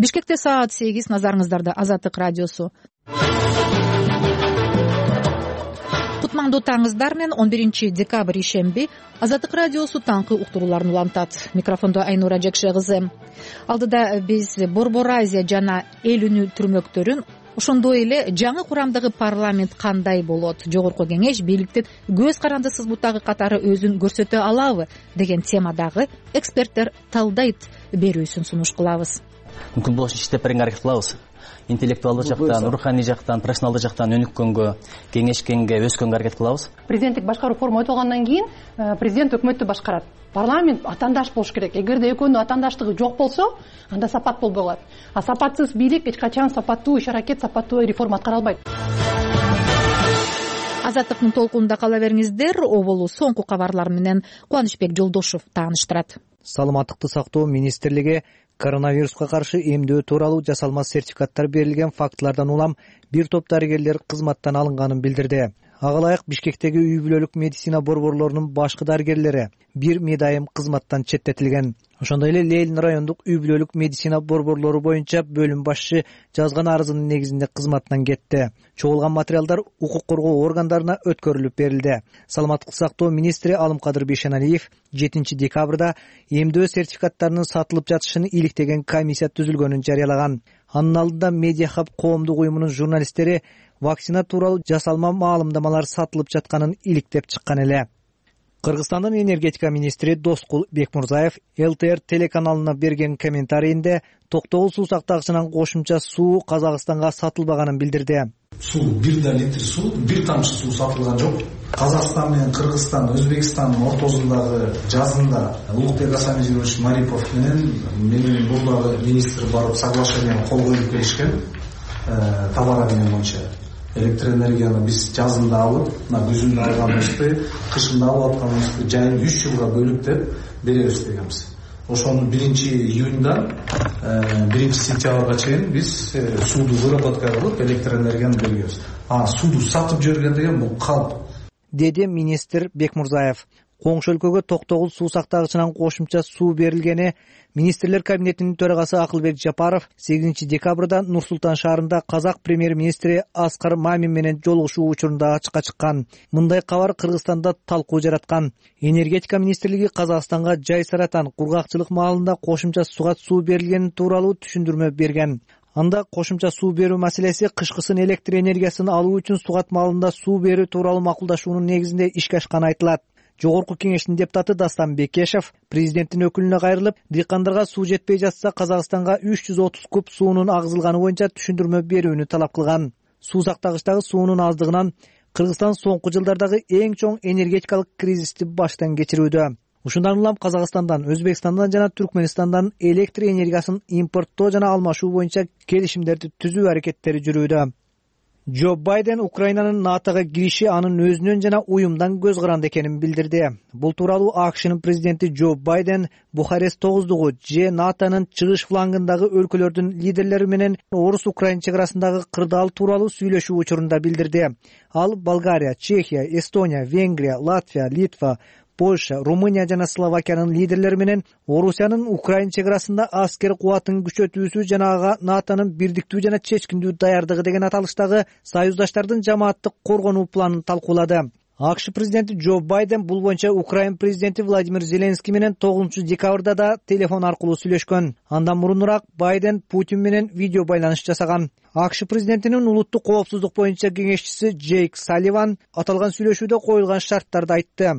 Бишкекте саат 8, назарыңыздарда Азаттык радиосу. Кутмандуу таңыңыздар менен 11 декабрь ишемби Азаттык радиосу таңкы уктурууларын улантат. Микрофондо Айнура Жекше кызы. Алдыда биз Борбор Азия жана эл үнү түрмөктөрүн, ошондой эле жаңы курамдагы парламент кандай болот, жогорку кеңеш бийликтин көз карандысыз бутагы катары өзүн көрсөтө алабы деген темадагы эксперттер талдайт берүүсүн сунуш кылабыз. Мүмкүн болушунча иштеп беренге аракет кылабыз. Интеллектуалдык жактан, руханий жактан, профессионалдык жактан өнүккөнгө, кеңешкенге, өскөнгө аракет кылабыз. Президенттик башкаруу форма өтөлгөндөн кийин президент өкмөттү башкарат. Парламент атаандаш болуш керек. Эгерде экөөнүн атаандаштыгы жок болсо, анда сапат болбой калат. А сапатсыз бийлик эч качан сапаттуу иш-аракет, сапаттуу реформа аткара албайт. Азаттыктын толкунунда кала бериңиздер. Оболу соңку кабарлар менен Кубанычбек Жолдошев тааныштырат. Саламаттыкты сактоо министрлиги коронавируска каршы эмдөө тууралуу жасалма сертификаттар берилген фактылардан улам бир топ дарыгерлер кызматтан алынганын билдирди. Ага ылайык Бишкектеги үй бүлөлүк медицина борборлорунун башкы дарыгерлери бир медайым кызматтан четтетилген. Ошондой эле Лейлин райондук үй бүлөлүк медицина борборлору боюнча бөлүм башчы жазган арызынын негизинде кызматтан кетти. Чогулган материалдар укук коргоо органдарына өткөрүлүп берилди. Саламаттык сактоо министри Алымкадыр Бейшеналиев 7 декабрда эмдөө сертификаттарынын сатылып жатышын иликтеген комиссия түзүлгөнүн жарыялаган. Анын алдында Медиа Хаб коомдук уюмунун журналисттери вакцина тууралуу жасалма маалымдамалар сатылып жатканын иликтеп чыккан эле. Кыргызстандын энергетика министри Доскул Бекмурзаев ЛТР телеканалына берген комментарийинде токтогул суу сактагычынан кошумча суу Казакстанга сатылбаганын билдирди. Суу бир да литр суу, бир тамчы суу сатылган жок. Казакстан менен Кыргызстан, Өзбекстандын ортосундагы жазында Улукбек Асамжирович Марипов менен бурдагы министр барып соглашениеге кол коюп келишкен. Товар обмены боюнча электроэнергияны биз жазында алып, күзүндө алганыбызды, кышында алып атканыбызды жайын 3 жылга бөлүп деп беребиз дегенбиз. Ошону 1-июндан 1-сентябрга чейин биз сууду выработка кылып электроэнергияны беребиз. Сууду сатып жүргөн деген бул калп, деди министр Бекмурзаев. Коңшу өлкөгө токтогул суу сактагычынан кошумча суу берилгени министрлер кабинетинин төрагасы Акылбек Жапаров 8 декабрда Нур-Султан шаарында казак премьер-министри Аскар Мамин менен жолугушуу учурунда ачыкка чыккан. Мындай кабар Кыргызстанда талкуу жараткан. Энергетика министрлиги Казакстанга Жай Саратан кургакчылык маалында кошумча суга суу берилгени тууралуу түшүндүрмө берген. Анда кошумча суу берүү маселеси кышкысын электр энергиясын алуу үчүн сугат маалында суу берүү тууралуу макулдашуунун негизинде ишке ашканы айтылат. Жогорку кеңештин депутаты Дастан Бекешев президенттин өкүлүнө кайрылып, дыйкандарга суу жетпей жатса Казакстанга 330 куб суунун агзылганы боюнча түшүндүрмө берүүнү талап кылган. Суу сактагычтагы суунун аздыгынан Кыргызстан соңку жылдардагы эң чоң энергетикалык кризисти баштан кечирүүдө. Ушундан улам Казакстандан, Өзбекстандан жана Түркменистандан электр энергиясын импорттоо жана алмашуу боюнча келишимдерди түзүү аракеттери жүрүүдө. Джо Байден Украинанын НАТОго кириши анын өзүнөн жана уюмдан көз каранды экенин билдирди. Бул тууралуу АКШнын президенти Джо Байден Бухарест 9-дугу же НАТОнун чыгыш флангындагы өлкөлөрдүн лидерлери менен Орус-Украин чек арасындагы кырдаал тууралуу сүйлөшүү учурунда билдирди. Ал Болгария, Чехия, Эстония, Венгрия, Латвия, Литва, Польша, Румыния жана Словакиянын лидерлери менен Орусиянын Украин чек арасында аскер кубатын күчөтүүсү жана ага НАТОнун бирдиктүү жана чечкиндүү даярдыгы деген аталыштагы союздаштардын жамааттык коргонуу планын талкуулады. АКШ президенти Джо Байден бул боюнча Украин президенти Владимир Зеленский менен 9 декабрда да телефон аркылуу сүйлөшкөн. Андан мурунураак Байден Путин менен видео байланыш жасаган. АКШ президентинин улуттук коопсуздук боюнча кеңешчиси Джейк Салливан аталган сүйлөшүүдө коюлган шарттарды айтты.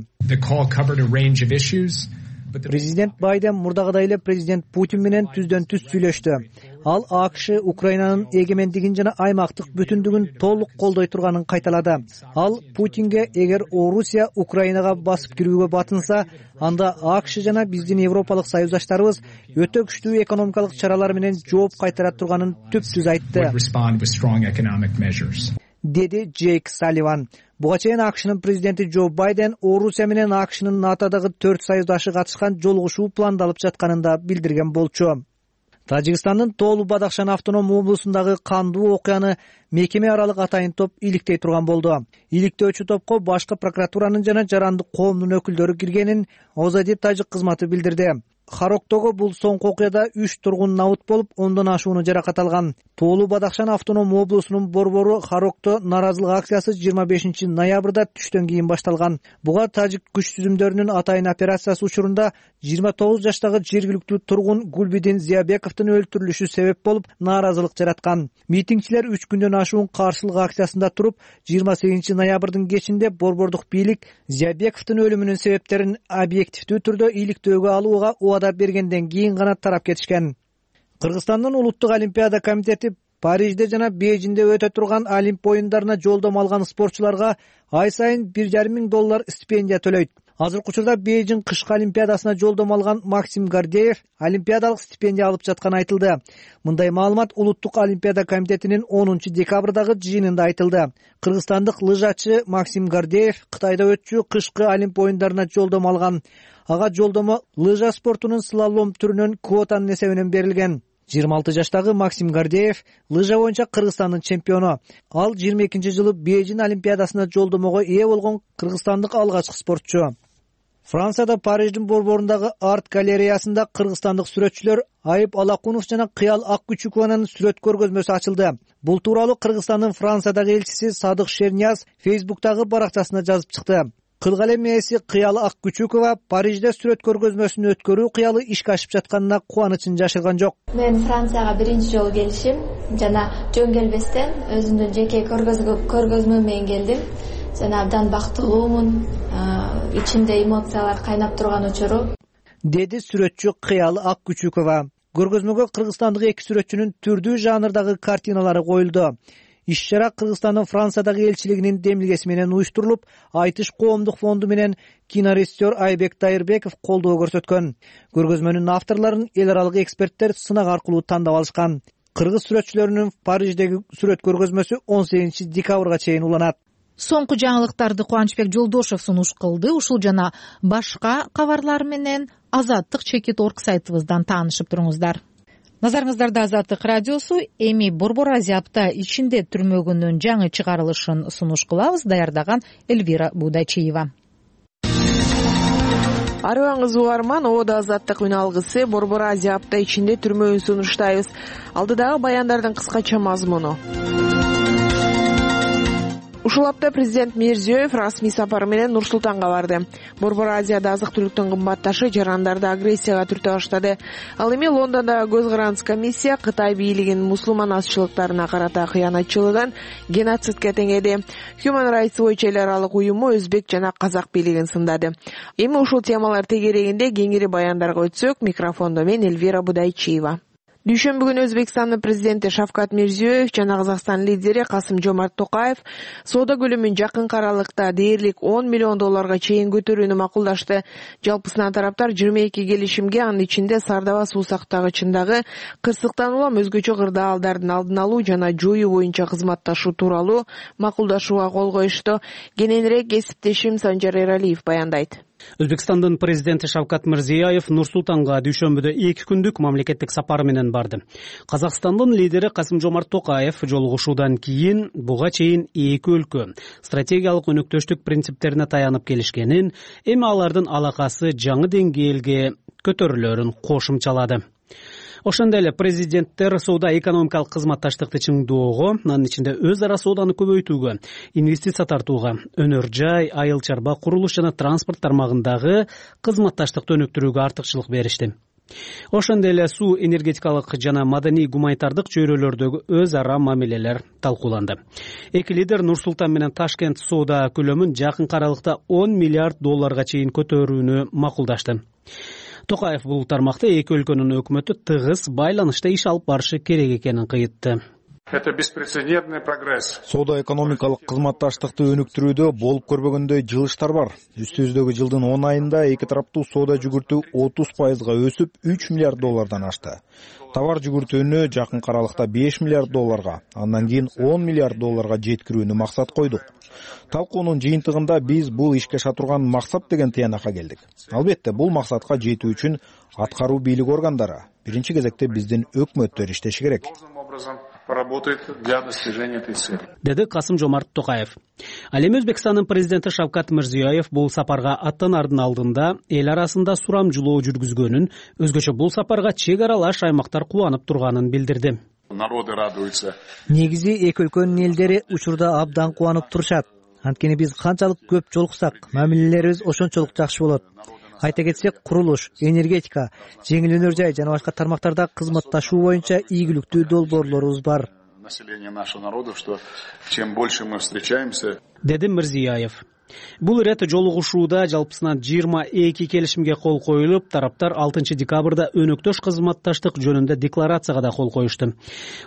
Президент Байден мурдагыдай эле президент Путин менен түздөн түз сүйлөштү. Ал АКШ Украинанын эгемендигин жана аймактык бүтүндүгүн толук колдой турганын кайталады. Ал Путинге эгер Орусия Украинага басып кирүүгө батынса, анда АКШ жана биздин европалык союздаштарыбыз өтө күчтүү экономикалык чаралар менен жооп кайтара турганын түп-түз айтты, деди Джейк Салливан. Буга чейин АКШнын президенти Джо Байден Орусия менен АКШнын НАТОдогу 4 союздашы катышкан жолугушуу пландалып жатканын да билдирген болчу. Тажикстандын Тоолу Бадахшан автоном облусундагы кандуу окуяны мекеме аралык атайын топ иликтей турган болду. Иликтөөчү топко башкы прокуратуранын жана жарандык коомдун өкүлдөрү киргенин Озади тажик кызматы билдирди. Хароктогу бул соңку окуяда 3 тургун набыт болуп, 10дон ашууну жаракат алган. Тоолуу Бадахшан автоном облусунун борбору Харокто нааразылык акциясы 25 ноябрда түштөн кийин башталган. Буга тажик күч түзүмдөрүнүн атайын операциясы учурунда 29 жаштагы жергиликтүү тургун Гулбидин Зиябековдун өлтүрүлүшү себеп болуп, нааразылык жараткан. Митингчилер 3 күндөн ашуун каршылык акциясында туруп, 28 ноябрдын кечинде борбордук бийлик Зиябековдун өлүмүнүн себептерин объективдүү түрдө иликтөөгө алууга убада бергенден кийин гана тарап кетишкен. Кыргызстандын улуттук олимпиада комитети Парижде жана Бейжиңде өтө турган Олимп оюндарына жолдомо алган спортчуларга ай сайын $1,500 стипендия төлөйт. Азыркы учурда Бейжиң кышкы олимпиадасына жолдомо алган Максим Гордеев олимпиадалык стипендия алып жатканы айтылды. Мындай маалымат улуттук олимпиада комитетинин 10 декабрдагы жыйынында айтылды. Кыргызстандык лыжачы Максим Гордеев Кытайда өтчү кышкы Олимп оюндарына жолдомо алган. Ага жолдомо лыжа спортунун слалом түрүнөн квотанын эсебинен берилген. 26 жаштагы Максим Гордеев лыжа боюнча Кыргызстандын чемпиону. Ал 22-жылы Бейжиң олимпиадасына жолдомого ээ болгон кыргызстандык алгачкы спортчу. Францияда Париждин борборундагы арт галереясында кыргызстандык сүрөтчүлөр Айып Алакунов жана Кыял Аккүчүкованын сүрөт көргөзмөсү ачылды. Бул тууралуу Кыргызстандын Франциядагы элчиси Садык Шернияз Фейсбуктагы баракчасына жазып чыкты. Кылгалем ээси Кыял Аккүчүкова Парижде сүрөт көргөзмөсүн өткөрүү кыялы ишке ашып жатканына кубанычын жашырган жок. Мен Францияга биринчи жолу келишим жана жөн келбестен өзүмдүн жеке көргөзмө менен келдим. Жана абдан бактылуумун, ичимде эмоциялар кайнап турган учуру, деди сүрөтчү Кыял Аккүчүкова. Көргөзмөгө кыргызстандык эки сүрөтчүнүн түрдүү жанрдагы картиналары коюлду. Иш-чара Кыргызстандын Франциядагы элчилигинин демилгеси менен уюштурулуп, Айтыш коомдук фонду менен кинорежиссер Айбек Тайырбеков колдоо көрсөткөн. Көргөзмөнүн авторлорун эл аралык эксперттер сынак аркылуу тандап алышкан. Кыргыз сүрөтчүлөрүнүн Париждеги сүрөт көргөзмөсү 18 декабрга чейин уланат. Соңку жаңылыктарды Кубанычбек Жолдошев сунуш кылды. Ушул жана башка кабарлар менен Азаттык Чекит.org сайтыбыздан таанышып туруңуздар. Назарыңыздарда Азаттык радиосу. Эми Борбор Азия апта ичинде түрмөгүнүн жаңы чыгарылышын сунуш кылабыз. Даярдаган Эльвира Будачиева. Арыбаңыз угарман, Ода Азаттык үн алгысы Борбор Азия апта ичинде түрмөгүн сунуштайбыз. Алдыдагы баяндардын кыскача мазмуну. Ушул апта президент Мирзиёев расмий сапар менен Нур-Султанга барды. Борбор Азияда азык-түлүктүн кымбатташы жарандарды агрессияга түртө баштады. Ал эми Лондондогу көз карандыс комиссия Кытай бийлигинин мусулман азчылыктарына карата кыянатчылыгын геноцидке теңеди. Human Rights Watch эл аралык уюму өзбек жана казак бийлигин сындады. Эми ушул темалар тегерегинде кеңири баяндарга өтсөк, микрофондо мен Эльвира Будайчиева. Дүйшөмбү күнү Өзбекстандын президенти Шавкат Мирзиёев жана Казакстан лидери Касым-Жомарт Токаев соода көлөмүн жакынкы аралыкта дээрлик $10 миллион чейин көтөрүүнү макулдашты. Жалпысынан тараптар 22 келишимге, анын ичинде Сардава суу сактагычындагы кырсыктан улам өзгөчө кырдаалдардын алдын алуу жана жоюу боюнча кызматташуу тууралуу макулдашууга кол коюшту. Кененирээк кесиптешим Санжар Эралиев баяндайт. Өзбекстандын президенти Шавкат Мирзиёев Нур-Султанга дүйшөмбүдө 2 күндүк мамлекеттик сапар менен барды. Казакстандын лидери Касым-Жомарт Токаев жолугушуудан кийин буга чейин эки өлкө стратегиялык өнөктөштүк принциптерине таянып келишкенин, эми алардын алакасы жаңы деңгээлге көтөрүлөрүн кошумчалады. Ошондой эле президенттер соода-экономикалык кызматташтыкты чыңдоого, анын ичинде өз ара сооданы көбөйтүүгө, инвестиция тартууга, өнөр жай, айыл чарба, курулуш жана транспорт тармагындагы кызматташтыкты өнүктүрүүгө артыкчылык беришти. Ошондой эле суу энергетикалык жана маданий гуманитардык чөйрөлөрдөгү өз ара мамилелер талкууланды. Эки лидер Нур-Султан менен Ташкент соода көлөмүн жакынкы аралыкта $10 миллиард чейин көтөрүүнү макулдашты. Токаев бул тармакта эки өлкөнүн өкмөтү тыгыз байланышта иш алып барышы керек экенин кыйтты. Это беспрецедентный прогресс. Соода-экономикалык кызматташтыкты өнүктүрүүдө болуп көрбөгөндөй жылыштар бар. Үстүбүздөгү жылдын 10 айында эки тараптуу соода жүгүртүү 30% өсүп $3 миллиард ашты. Товар жүгүртүүнү жакынкы аралыкта $5 миллиард, андан кийин $10 миллиард жеткирүүнү максат койдук. Талкуунун жыйынтыгында биз бул ишке аша турган максат деген тыянакка келдик. Албетте, бул максатка жетүү үчүн аткаруу бийлик органдары, биринчи кезекте биздин өкмөттөр иштеши керек. поработает для достижения этой цели. Деди Касым-Жомарт Токаев. Ал эми Өзбекстандын президенти Шавкат Мирзиёев бул сапарга аттанаардын алдында эл арасында сурамжылоо жүргүзгөнүн, өзгөчө бул сапарга чек аралаш аймактар кубанып турганын билдирди. Народы радуются. Негизи эки өлкөнүн элдери учурда абдан кубанып турушат. Анткени биз канчалык көп жолуксак, мамилелерибиз ошончолук жакшы болот. Айта кетсек, курулуш, энергетика, жеңил өнөр жай жана башка тармактарда кызматташуу боюнча ийгиликтүү долбоорлорубуз бар. Население нашего народа, что чем больше мы встречаемся, деди Мирзиёев. Бул ирет жолугушууда жалпысынан 22 келишимге кол коюлуп, тараптар 6 декабрда өнөктөш кызматташтык жөнүндө декларацияга да кол коюшту.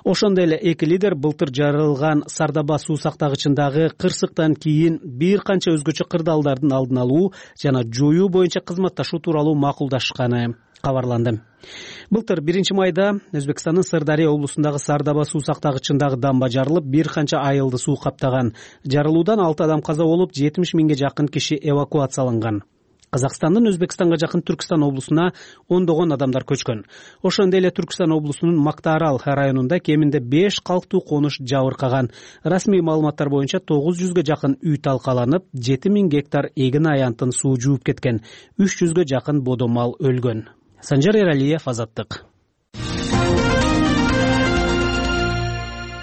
Ошондой эле эки лидер былтыр жарылган Сардаба суу сактагычындагы кырсыктан кийин бир канча өзгөчө кырдаалдардын алдын алуу жана жоюу боюнча кызматташуу тууралуу макулдашканы кабарланды. Былтыр 1-майда Өзбекстандын Сырдария облусундагы Сардаба суу сактагычындагы дамба жарылып, бир канча айылды суу каптаган. Жарылуудан 6 адам каза болуп, 70 миңге жакын киши эвакуацияланган. Казакстандын Өзбекстанга жакын Түркстан облусуна ондогон адамдар көчкөн. Ошондой эле Түркстан облусунун Мактаарал районунда кеминде 5 калктуу конуш жабыркаган. Расмий маалыматтар боюнча 900га жакын үй талкаланып, 7000 гектар эгин аянтын суу жууп кеткен. 300га жакын бодо мал өлгөн. Санжар Эралиев, Азаттык.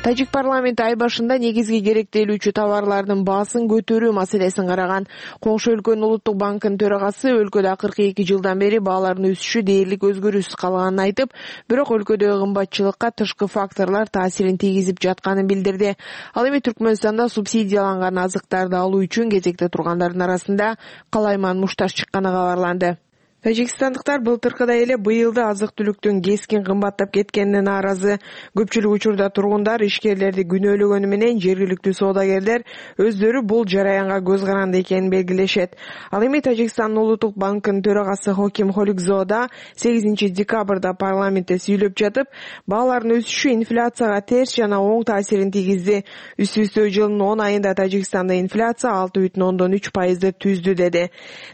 Тажик парламенти ай башында негизги керектелүүчү товарлардын баасын көтөрүү маселесин караган. Коңшу өлкөнүн улуттук банкынын төрагасы өлкөдө 42 жылдан бери баалардын өсүшү дээрлик өзгөрүүсүз калганын айтып, бирок өлкөдөгү кымбатчылыкка тышкы факторлор таасирин тийгизип жатканын билдирди. Ал эми Түркмөнстанда субсидияланган азыктарды алуу үчүн кезекте тургандардын арасында Калайман Мушташ чыкканы кабарланды. Тажикстандыктар былтыркыдай эле быйыл да азык-түлүктүн кескин кымбаттап кеткенине нааразы. Көпчүлүк учурда тургундар ишкерлерди күнөөлөгөнү менен жергиликтүү соодагерлер өздөрү бул жараянга көз каранды экенин белгилешет. Ал эми Тажикстандын улуттук банкынын төрагасы Хоким Холикзода 8 декабрда парламентте сүйлөп жатып, баалардын өсүшү инфляцияга терс жана оң таасирин тийгизди. Үстү-үстү жылдын 10 айында Тажикстанда инфляция 6,3% түздү деди.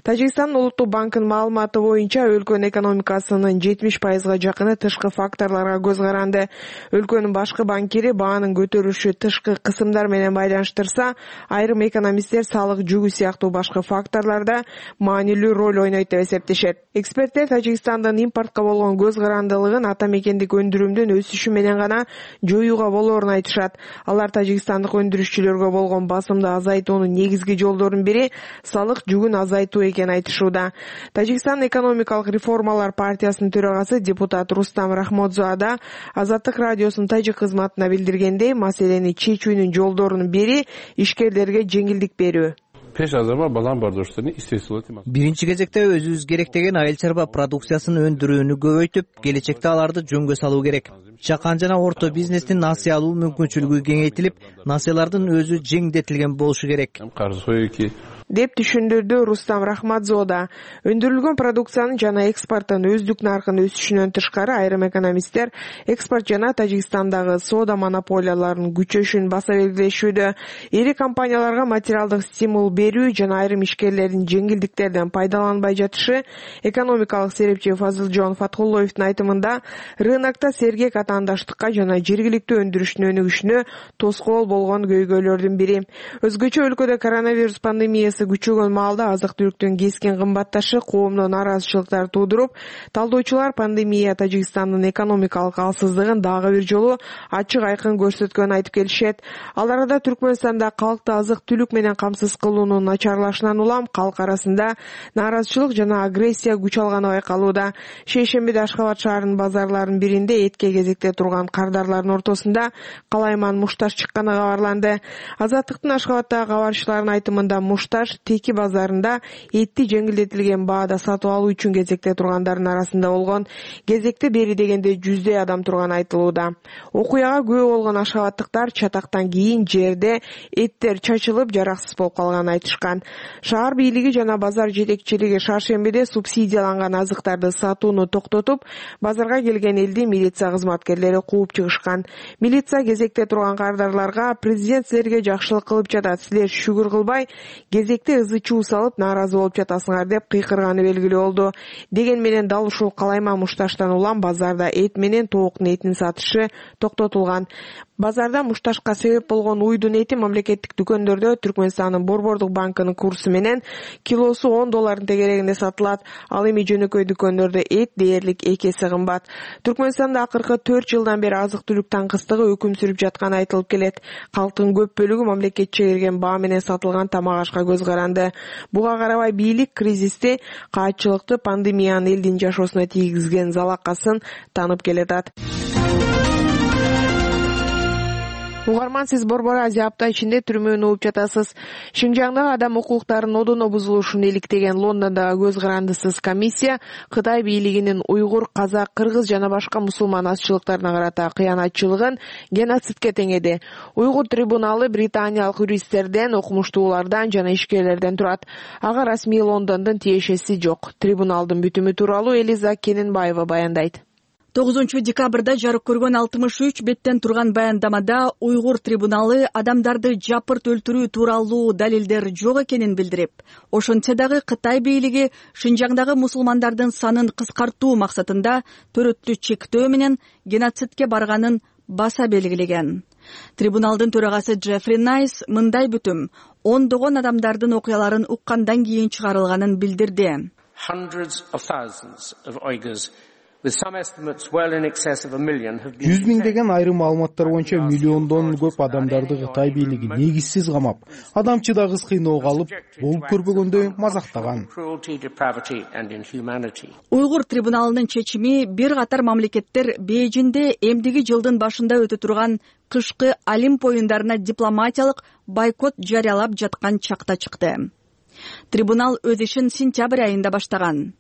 Тажикстандын улуттук банкынын маалыматы боюнча өлкөнүн экономикасынын 70%га жакыны тышкы факторлорго көз каранды. Өлкөнүн башкы банкири баанын көтөрүлүшү тышкы кысымдар менен байланыштырса, айрым экономисттер салык жүгү сыяктуу башкы факторлордо маанилүү роль ойнойт деп эсептешет. Эксперттер Тажикстандын импортко болгон көз карандылыгын ата мекендик өндүрүмдүн өсүшү менен гана жоюуга болоорун айтышат. Алар тажикстандык өндүрүшчүлөргө болгон басымды азайтуунун негизги жолдорунун бири салык жүгүн азайтуу экенин айтышууда. Тажикстан экономикалык реформалар партиясынын төрагасы депутат Рустам Рахмодзоада Азаттык радиосунун тажик кызматына билдиргендей, маселени чечүүнүн жолдорунун бири ишкерлерге жеңилдик берүү. Биринчи кезекте өзүбүз керектеген айыл чарба продукциясын өндүрүүнү көбөйтүп, келечекте аларды жөнгө салуу керек. Чакан жана орто бизнестин насыя алуу мүмкүнчүлүгү кеңейтилип, насыялардын өзү жеңилдетилген болушу керек деп түшүндүрдү Рустам Рахмадзода. Өндүрүлгөн продукциянын жана экспорттун өздүк наркынын өсүшүнөн тышкары айрым экономисттер экспорт жана Тажикстандагы соода монополияларынын күчөшүн баса белгилешүүдө. Ири компанияларга материалдык стимул берүү жана айрым ишкерлердин жеңилдиктерден пайдаланбай жатышы, экономикалык серепчи Фазылжон Фаткуллоевдун айтымында, рынокто сергек атаандаштыкка жана жергиликтүү өндүрүштүн өнүгүшүнө тоскоол болгон көйгөйлөрдүн бири. Өзгөчө өлкөдө коронавирус пандемиясы күчөгөн маалда азык-түлүктүн кескин кымбатташы коомдо нааразычылыктар туудуруп, талдоочулар пандемия Тажикстандын экономикалык алсыздыгын дагы бир жолу ачык айкын көрсөткөнүн айтып келишет. Ал арада Түркмөнстанда калкты азык-түлүк менен камсыз кылуунун начарлашынан улам калк арасында нааразычылык жана агрессия күч алганы байкалууда. Шейшембиде Ашхабад шаарынын базарларынын биринде этке кезекте турган кардарлардын ортосунда Калайман Мушташ чыкканы кабарланды. Азаттыктын Ашхабаддагы кабарчыларынын айтымында Мушташ Теки базарында этти жеңилдетилген баада сатып алуу үчүн кезекте тургандардын арасында болгон. Кезекте бери дегенде 100 адам турганы айтылууда. Окуяга күбө болгон ашхабадтыктар чатактан кийин жерде эттер чачылып жараксыз болуп калганын айтышкан. Шаар бийлиги жана базар жетекчилиги шаршембиде субсидияланган азыктарды сатууну токтотуп, базарга келген элди милиция кызматкерлери кууп чыгышкан. Милиция кезекте турган кардарларга президент силерге жакшылык кылып жатат, силер шүгүр кылбай кезекте ызы-чуу салып нааразы болуп жатасыңар деп кыйкырганы белгилүү болду. Деген менен дал ушул Калайман Мушташтан улам базарда эт менен тооктун этин сатышы токтотулган. Базарда мушташка себеп болгон уйдун эти мамлекеттик дүкөндөрдө Түркмөнстандын Борбордук банкынын курсу менен килосу $10 тегерегинде сатылат. Ал эми жөнөкөй дүкөндөрдө эт дээрлик 2 эсе кымбат. Түркмөнстанда акыркы 4 жылдан бери азык-түлүк таңкыстыгы өкүм сүрүп жатканы айтылып келет. Калктын көп бөлүгү мамлекетче берген баа менен сатылган тамак ашка көз каранды. Буга карабай бийлик кризисти, каатчылыкты, пандемиянын элдин жашоосуна тийгизген залакасын танып келатат. Угарман, сиз Борбор Азия апта ичинде түрмөнү угуп жатасыз. Шинжаңдагы адам укуктарынын одоно бузулушун иликтеген Лондондогу көз карандысыз комиссия Кытай бийлигинин уйгур, казак, кыргыз жана башка мусулман азчылыктарына карата кыянатчылыгын геноцидке теңеди. Уйгур трибуналы британиялык юристтерден, окумуштуулардан жана ишкерлерден турат. Ага расмий Лондондун тиешеси жок. Трибуналдын бүтүмү тууралуу Элиза Кененбаева баяндайт. 9 декабрда жарык көргөн 63 беттен турган баяндамада уйгур трибуналы адамдарды жапырт өлтүрүү тууралуу далилдер жок экенин билдирип, ошентсе дагы Кытай бийлиги Шинжаңдагы мусулмандардын санын кыскартуу максатында төрөттү чектөө менен геноцидке барганын баса белгилеген. Трибуналдын төрагасы Джеффри Найс мындай бүтүм ондогон адамдардын окуяларын уккандан кийин чыгарылганын билдирди. Жүз миңдеген айрым маалыматтар боюнча миллиондон көп адамдарды Кытай бийлиги негизсиз камап, адамчыдагыс кыйноого алып, болуп көрбөгөндөй мазактаган. Уйгур трибуналынын чечими бир катар мамлекеттер Бейжинде эмдиги жылдын башында өтө турган кышкы Олимп оюндарына дипломатиялык бойкот жарыялап жаткан чакта чыкты. Трибунал өз ишин сентябрь айында баштаган.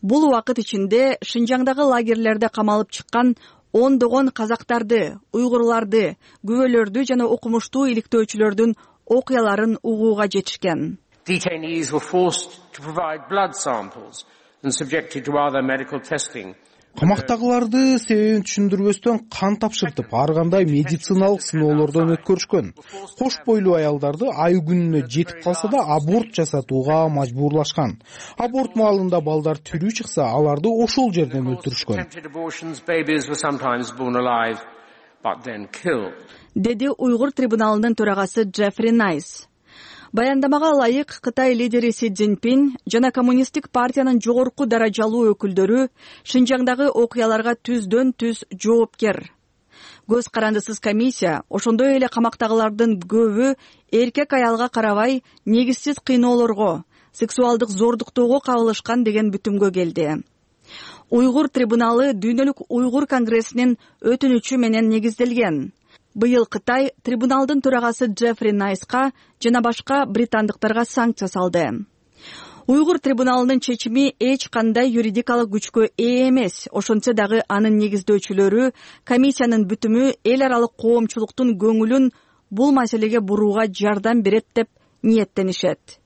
Бул убакыт ичинде Шинжаңдагы лагерлерде камалып чыккан ондогон казактарды, уйгурларды, күбөлөрдү жана окумуштуу иликтөөчүлөрдүн окуяларын угууга жетишкен. Detainees were forced to provide blood samples and subjected to other medical testing. Камактагыларды себебин түшүндүрбөстөн кан тапшыртып, ар кандай медициналык сыноолордон өткөрүшкөн. Кош бойлуу аялдарды ай күнүнө жетип калса да аборт жасатууга мажбурлашкан. Аборт маалында балдар тирүү чыкса, аларды ошол жерден өлтүрүшкөн. Деди уйгур трибуналынын төрагасы Джеффри Найс. Баяндамага ылайык Кытай лидери Си Цзиньпин жана коммунисттик партиянын жогорку даражалуу өкүлдөрү Шинжаңдагы окуяларга түздөн түз жоопкер. Көз карандысыз комиссия ошондой эле камактагылардын көбү эркек аялга карабай негизсиз кыйноолорго, сексуалдык зордуктоого кабылышкан деген бүтүмгө келди. Уйгур трибуналы Дүйнөлүк уйгур конгрессинин өтүнүчү менен негизделген. Быйыл Кытай трибуналдын төрагасы Джеффри Найска жана башка британдыктарга санкция салды. Уйгур трибуналынын чечими эч кандай юридикалык күчкө ээ эмес, ошентсе дагы анын негиздөөчүлөрү комиссиянын бүтүмү эл аралык коомчулуктун көңүлүн бул маселеге бурууга жардам берет деп ниеттенишет.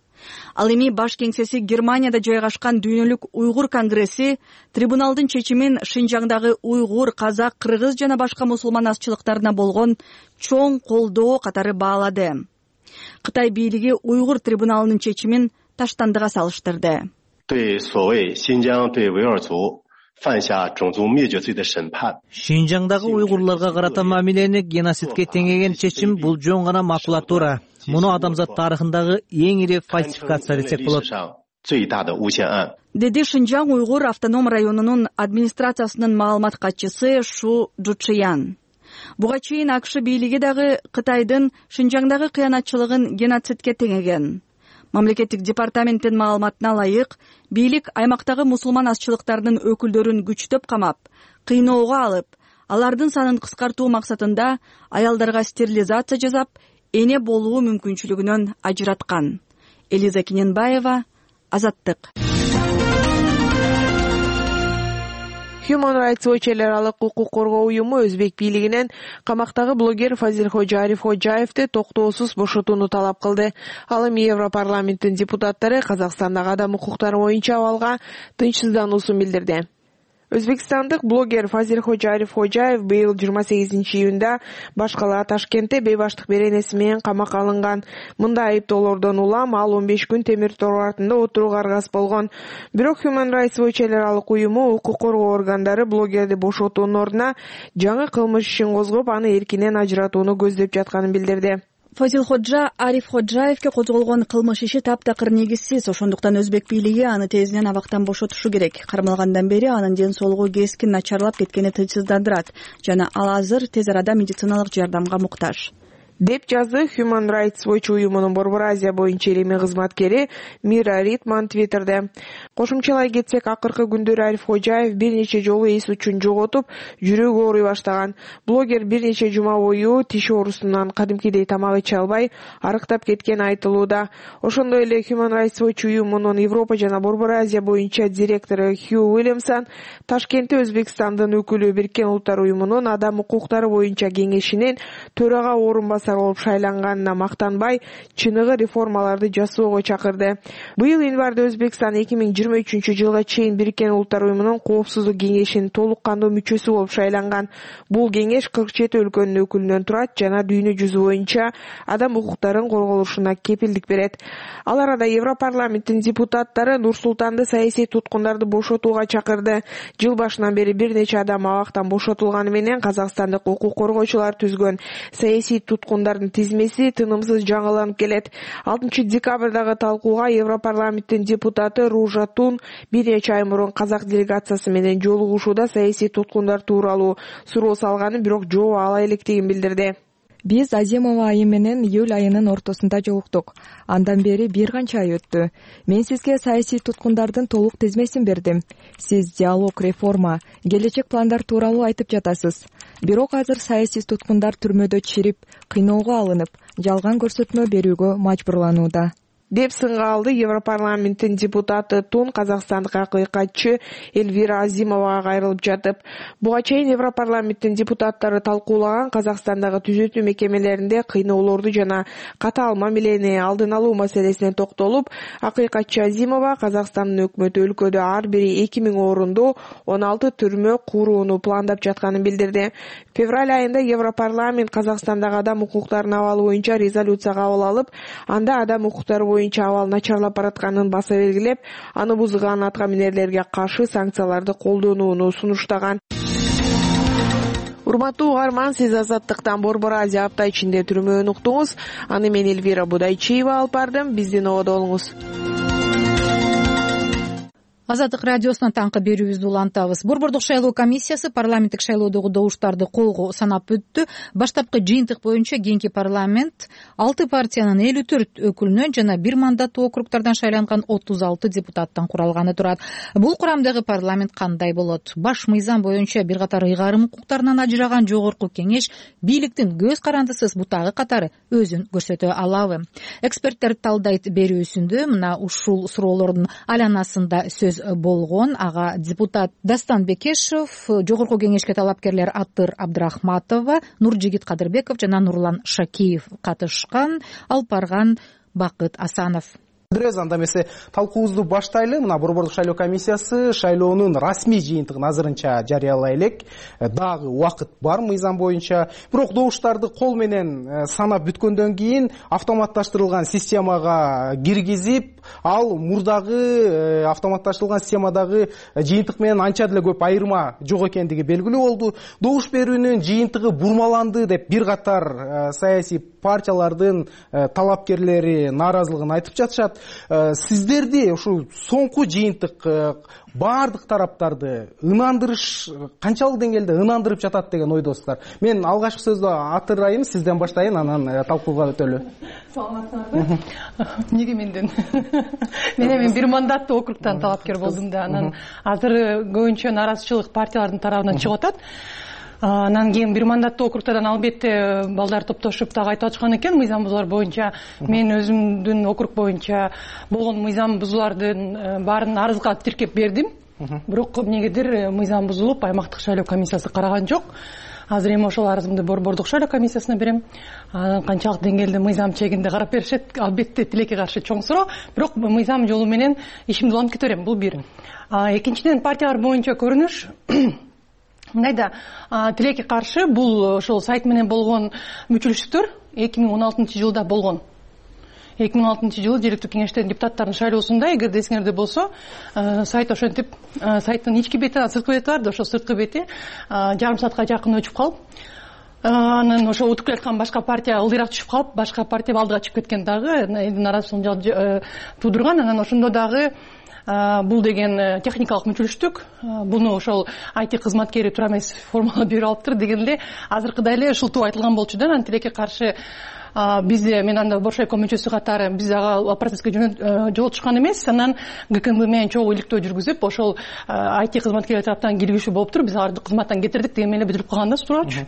Ал эми баш кеңсеси Германияда жайгашкан Дүйнөлүк уйгур конгресси трибуналдын чечимин Шинжаңдагы уйгур, казак, кыргыз жана башка мусулман азчылыктарына болгон чоң колдоо катары баалады. Кытай бийлиги уйгур трибуналынын чечимин таштандыга салыштырды. Шинжаңдагы уйгурларга карата мамилени геноцидке теңеген чечим бул жөн гана макулатура. Муну адамзат тарыхындагы эң ири фальсификация десек болот. Деди Шинжаң уйгур автоном районунун администрациясынын маалымат катчысы Шу Жучиян. Буга чейин АКШ бийлиги дагы Кытайдын Шинжаңдагы кыянатчылыгын геноцидке теңеген. Мамлекеттик департаменттин маалыматына ылайык, бийлик аймактагы мусулман азчылыктарынын өкүлдөрүн күчтөп камап, кыйноого алып, алардын санын кыскартуу максатында аялдарга стерилизация жасап, эне болуу мүмкүнчүлүгүнөн ажыраткан. Элиза Кененбаева, Азаттык. Human Rights Watch эл аралык укук коргоо уюму Өзбек бийлигинен камактагы блогер Фазилхожа Ариф Ходжаевди токтоосуз бошотууну талап кылды. Ал эми Европарламенттин депутаттары Казакстандагы адам укуктары боюнча абалга тынчсыздануусун билдирди. Өзбекстандык блогер Фазилходжа Ариф Ходжаев быйыл 28-июнда баш кала Ташкентте бейбаштык беренеси менен камакка алынган. Мындай айыптоолордон улам ал 15 күн темир тор артында отурууга аргасыз болгон. Бирок Human Rights Watch эл аралык уюму укук коргоо органдары блогерди бошотуунун ордуна жаңы кылмыш ишин козгоп, аны эркинен ажыратууну көздөп жатканын билдирди. Фазилходжа Ариф Ходжаевке козголгон кылмыш иши таптакыр негизсиз, ошондуктан өзбек бийлиги аны тезинен абактан бошотушу керек. Кармалгандан бери анын ден соолугу кескин начарлап кеткени тынчсыздандырат жана ал азыр тез арада медициналык жардамга муктаж, деп жазды Human Rights Watch уюмунун Борбор Азия боюнча илимий кызматкери Мира Ритман Твиттерде. Кошумчалай кетсек, акыркы күндөрү Ариф Ходжаев бир нече жолу эс учун жоготуп, жүрөгү ооруй баштаган. Блогер бир нече жума бою тиш оорусунан кадимкидей тамак иче албай арыктап кеткени айтылууда. Ошондой эле Human Rights Watch уюмунун Европа жана Борбор Азия боюнча директору Хью Уильямсон Ташкентте Өзбекстандын өкүлү Бириккен Улуттар уюмунун адам укуктары боюнча кеңешинин төрага орунбасары болуп шайланганына мактанбай, чыныгы реформаларды жасоого чакырды. Быйыл январда Өзбекстан 2023-жылга чейин Бириккен Улуттар уюмунун коопсуздук кеңешинин толук кандуу мүчөсү болуп шайланган. Бул кеңеш 47 өлкөнүн өкүлүнөн турат жана дүйнө жүзү боюнча адам укуктарын корголушуна кепилдик берет. Ал арада Европарламенттин депутаттары Нур-Султанды саясий туткундарды бошотууга чакырды. Жыл башынан бери бир нече адам абактан бошотулганы менен казакстандык укук коргоочулар түзгөн саясий туткундардын тизмеси тынымсыз жаңыланып келет. 6 декабрдагы талкууга Европарламенттин депутаты Ружа Тун бир нече ай мурун казак делегациясы менен жолугушууда саясий туткундар тууралуу суроо салганы, бирок жооп ала электигин билдирди. Биз Азимова айы менен июль айынын ортосунда жолуктук. Андан бери бир канча ай өттү. Мен сизге саясий туткундардын толук тизмесин бердим. Сиз диалог, реформа, келечек пландар тууралуу айтып жатасыз. Бирок азыр саясий туткундар түрмөдө чирип, кыйноого алынып, жалган көрсөтмө берүүгө мажбурланууда, деп сынга алды Европарламенттин депутаты Тун казакстандык акыйкатчы Эльвира Азимовага кайрылып жатып. Буга чейин Европарламенттин депутаттары талкуулаган Казакстандагы түзөтүү мекемелеринде кыйноолорду жана катаал мамилени алдын алуу маселесине токтолуп, акыйкатчы Азимова Казакстандын өкмөтү өлкөдө ар бири 2000 орунду 16 түрмө курууну пландап жатканын билдирди. Февраль айында Европарламент Казакстандагы адам укуктарынын абалы боюнча резолюция кабыл алып, анда адам укуктары боюнча абал начарлап баратканын баса белгилеп, аны бузган атка минерлерге каршы санкцияларды колдонууну сунуштаган. Урматтуу угарман, сиз Азаттыктан Борбор Азия апта ичинде түрмөөн уктуңуз. Аны мен Эльвира Будайчиева алып бардым. Биздин ободо болуңуз. Азаттык радиосунан таңкы берүүбүздү улантабыз. Борбордук шайлоо комиссиясы парламенттик шайлоодогу добуштарды колго санап өттү. Баштапкы жыйынтык боюнча кийинки парламент 6 партиянын 54 өкүлүнөн жана 1 мандаттуу округдардан шайланган 36 депутаттан куралганы турат. Бул курамдагы парламент кандай болот? Баш мыйзам боюнча бир катар ыйгарым укуктарынан ажыраган жогорку кеңеш бийликтин көз карандысыз бутагы катары өзүн көрсөтө алабы? Эксперттер талдайт берүүсүндө мына ушул суроолордун айланасында сөз болгон. Ага депутат Дастан Бекешев, жогорку кеңешке талапкерлер Аттыр Абдрахматова, Нуржигит Кадырбеков жана Нурлан Шакиев катышкан. Алып барган Бакыт Асанов. Анда эмесе талкуубузду баштайлы. Мына Борбордук шайлоо комиссиясы шайлоонун расмий жыйынтыгын азырынча жарыялай элек. Дагы убакыт бар мыйзам боюнча. Бирок добуштарды кол менен санап бүткөндөн кийин автоматташтырылган системага киргизип, ал мурдагы автоматташтырылган системадагы жыйынтык менен анча деле көп айырма жок экендиги белгилүү болду. Добуш берүүнүн жыйынтыгы бурмаланды деп бир катар саясий партиялардын талапкерлери нааразылыгын айтып жатышат. Сиздерди ушул соңку жыйынтык баардык тараптарды ынандырыш канчалык деңгээлде ынандырып жатат деген ойдосуздар? Мен алгачкы сөздү Аттыр айым, сизден баштайын, анан талкууга өтөлү. Саламатсыңарбы? Эмнеге менден? Мен бир мандаттуу округтан талапкер болдум да, анан азыр көбүнчө нааразычылык партиялардын тарабынан чыгып атат. Анан кийин бир мандаттуу округтардан албетте балдар топтошуп дагы айтып атышкан экен мыйзам бузуулар боюнча. Мен өзүмдүн округ боюнча болгон мыйзам бузуулардын баарын арызга тиркеп бердим. Бирок эмнегедир мыйзам бузулуп, аймактык шайлоо комиссиясы караган жок. азыр эми ошол арызымды Борбордук шайлоо комиссиясына берем. Канчалык деңгээлде мыйзам чегинде карап беришет, албетте тилекке каршы чоң суроо, бирок мыйзам жолу менен ишимди улантып кете берем. Бул бир. Экинчиден, партиялар боюнча көрүнүш мындайда, тилекке каршы бул ошол сайт менен болгон мүчөлүштүктөр 2016 жылда болгон. 2016 жылы жергиликтүү кеңештердин депутаттарынын шайлоосунда, эгерде эсиңерде болсо, сайт ошентип, сайттын ички бети, сырткы бети бар да, ошол сырткы бети жарым саатка жакын өчүп калып, анан ошо утуп келаткан башка партия ылдыйраак түшүп калып, башка партия алдыга чыгып кеткен дагы элдин наразычылыгын туудурган. Анан ошондо дагы бул деген техникалык мүчөлүштүк, буну ошол IT кызматкери туура эмес формула берип алыптыр дегенде азыркыдай эле шылтуу айтылган болчу да. Анан тилекке каршы бизде, мен анда Боршайком мүчөсү катары, биз ага процесске жолотушкан эмес. Анан ГКМБ менен чогуу иликтөө жүргүзүп, ошол IT кызматкерлер тараптан келишүү болуптур. Биз аларды кызматтан кетирдик деген менен билдирип калган да суроочу.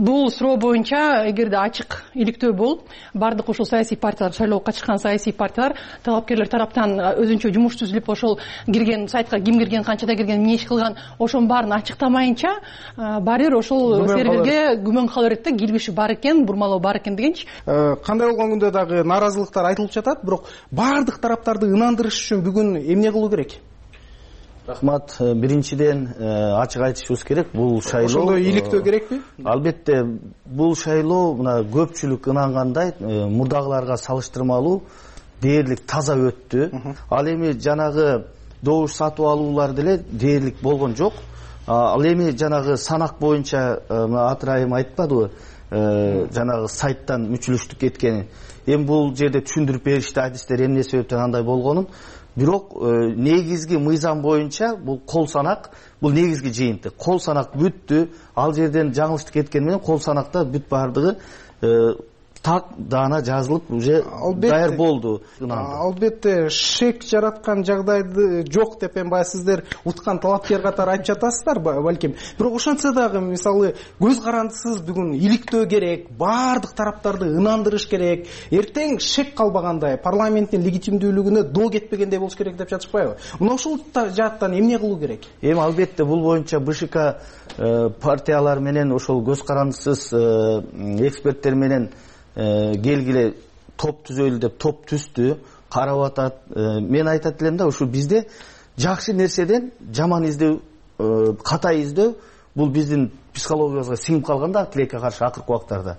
Бул суроо боюнча эгерде ачык иликтөө болуп, бардык ошол саясий партиялар, шайлоого катышкан саясий партиялар, талапкерлер тараптан өзүнчө жумуш түзүлүп, ошол кирген сайтка ким кирген, канчада кирген, эмне иш кылган, ошонун баарын ачыктамайынча, баары бир ошол серверге күмөн кала берет да, кирбеши бар экен, бурмалоо бар экен дегенчи. Кандай болгон күндө дагы нааразылыктар айтылып жатат, бирок баардык тараптарды ынандырыш үчүн бүгүн эмне кылуу керек? Рахмат. Биринчиден ачык айтышыбыз керек. Бул шайлоо ошондой иликтөө керекпи? Албетте, бул шайлоо мына көпчүлүк ынангандай мурдагыларга салыштырмалуу дээрлик таза өттү. Ал эми жанагы добуш сатып алуулар деле дээрлик болгон жок. Ал эми жанагы санак боюнча Атырайым айтпадыбы? Жанагы сайттан мүчөлүштүк кеткени. Эми бул жерде түшүндүрүп беришти, адистер эмне себептен андай болгонун. Бирок негизги мыйзам боюнча бул кол санак, бул негизги жыйынтык. Кол санак бүттү. Ал жерден жаңылыштык кеткени менен кол санакта бүт бардыгы так даана жазылып уже даяр болду. Албетте шек жараткан жагдайды жок деп эми баягы сиздер уткан талапкер катары айтып жатасыздар балким. Бирок ошентсе дагы мисалы көз карандысыз бүгүн иликтөө керек, баардык тараптарды ынандырыш керек. Эртең шек калбагандай, парламенттин легитимдүүлүгүнө доо кетпегендей болуш керек деп жатышпайбы? Мына ошол жааттан эмне кылуу керек? Эми албетте бул боюнча БШК партиялар менен ошол көз карандысыз эксперттер менен келгиле топ түзөлү деп топ түздү, карап атат. Мен айтат элем да, ушу бизде жакшы нерседен жаман издөө, катай издөө бул биздин психологиябызга сиңип калган да тилекке каршы акыркы убактарда.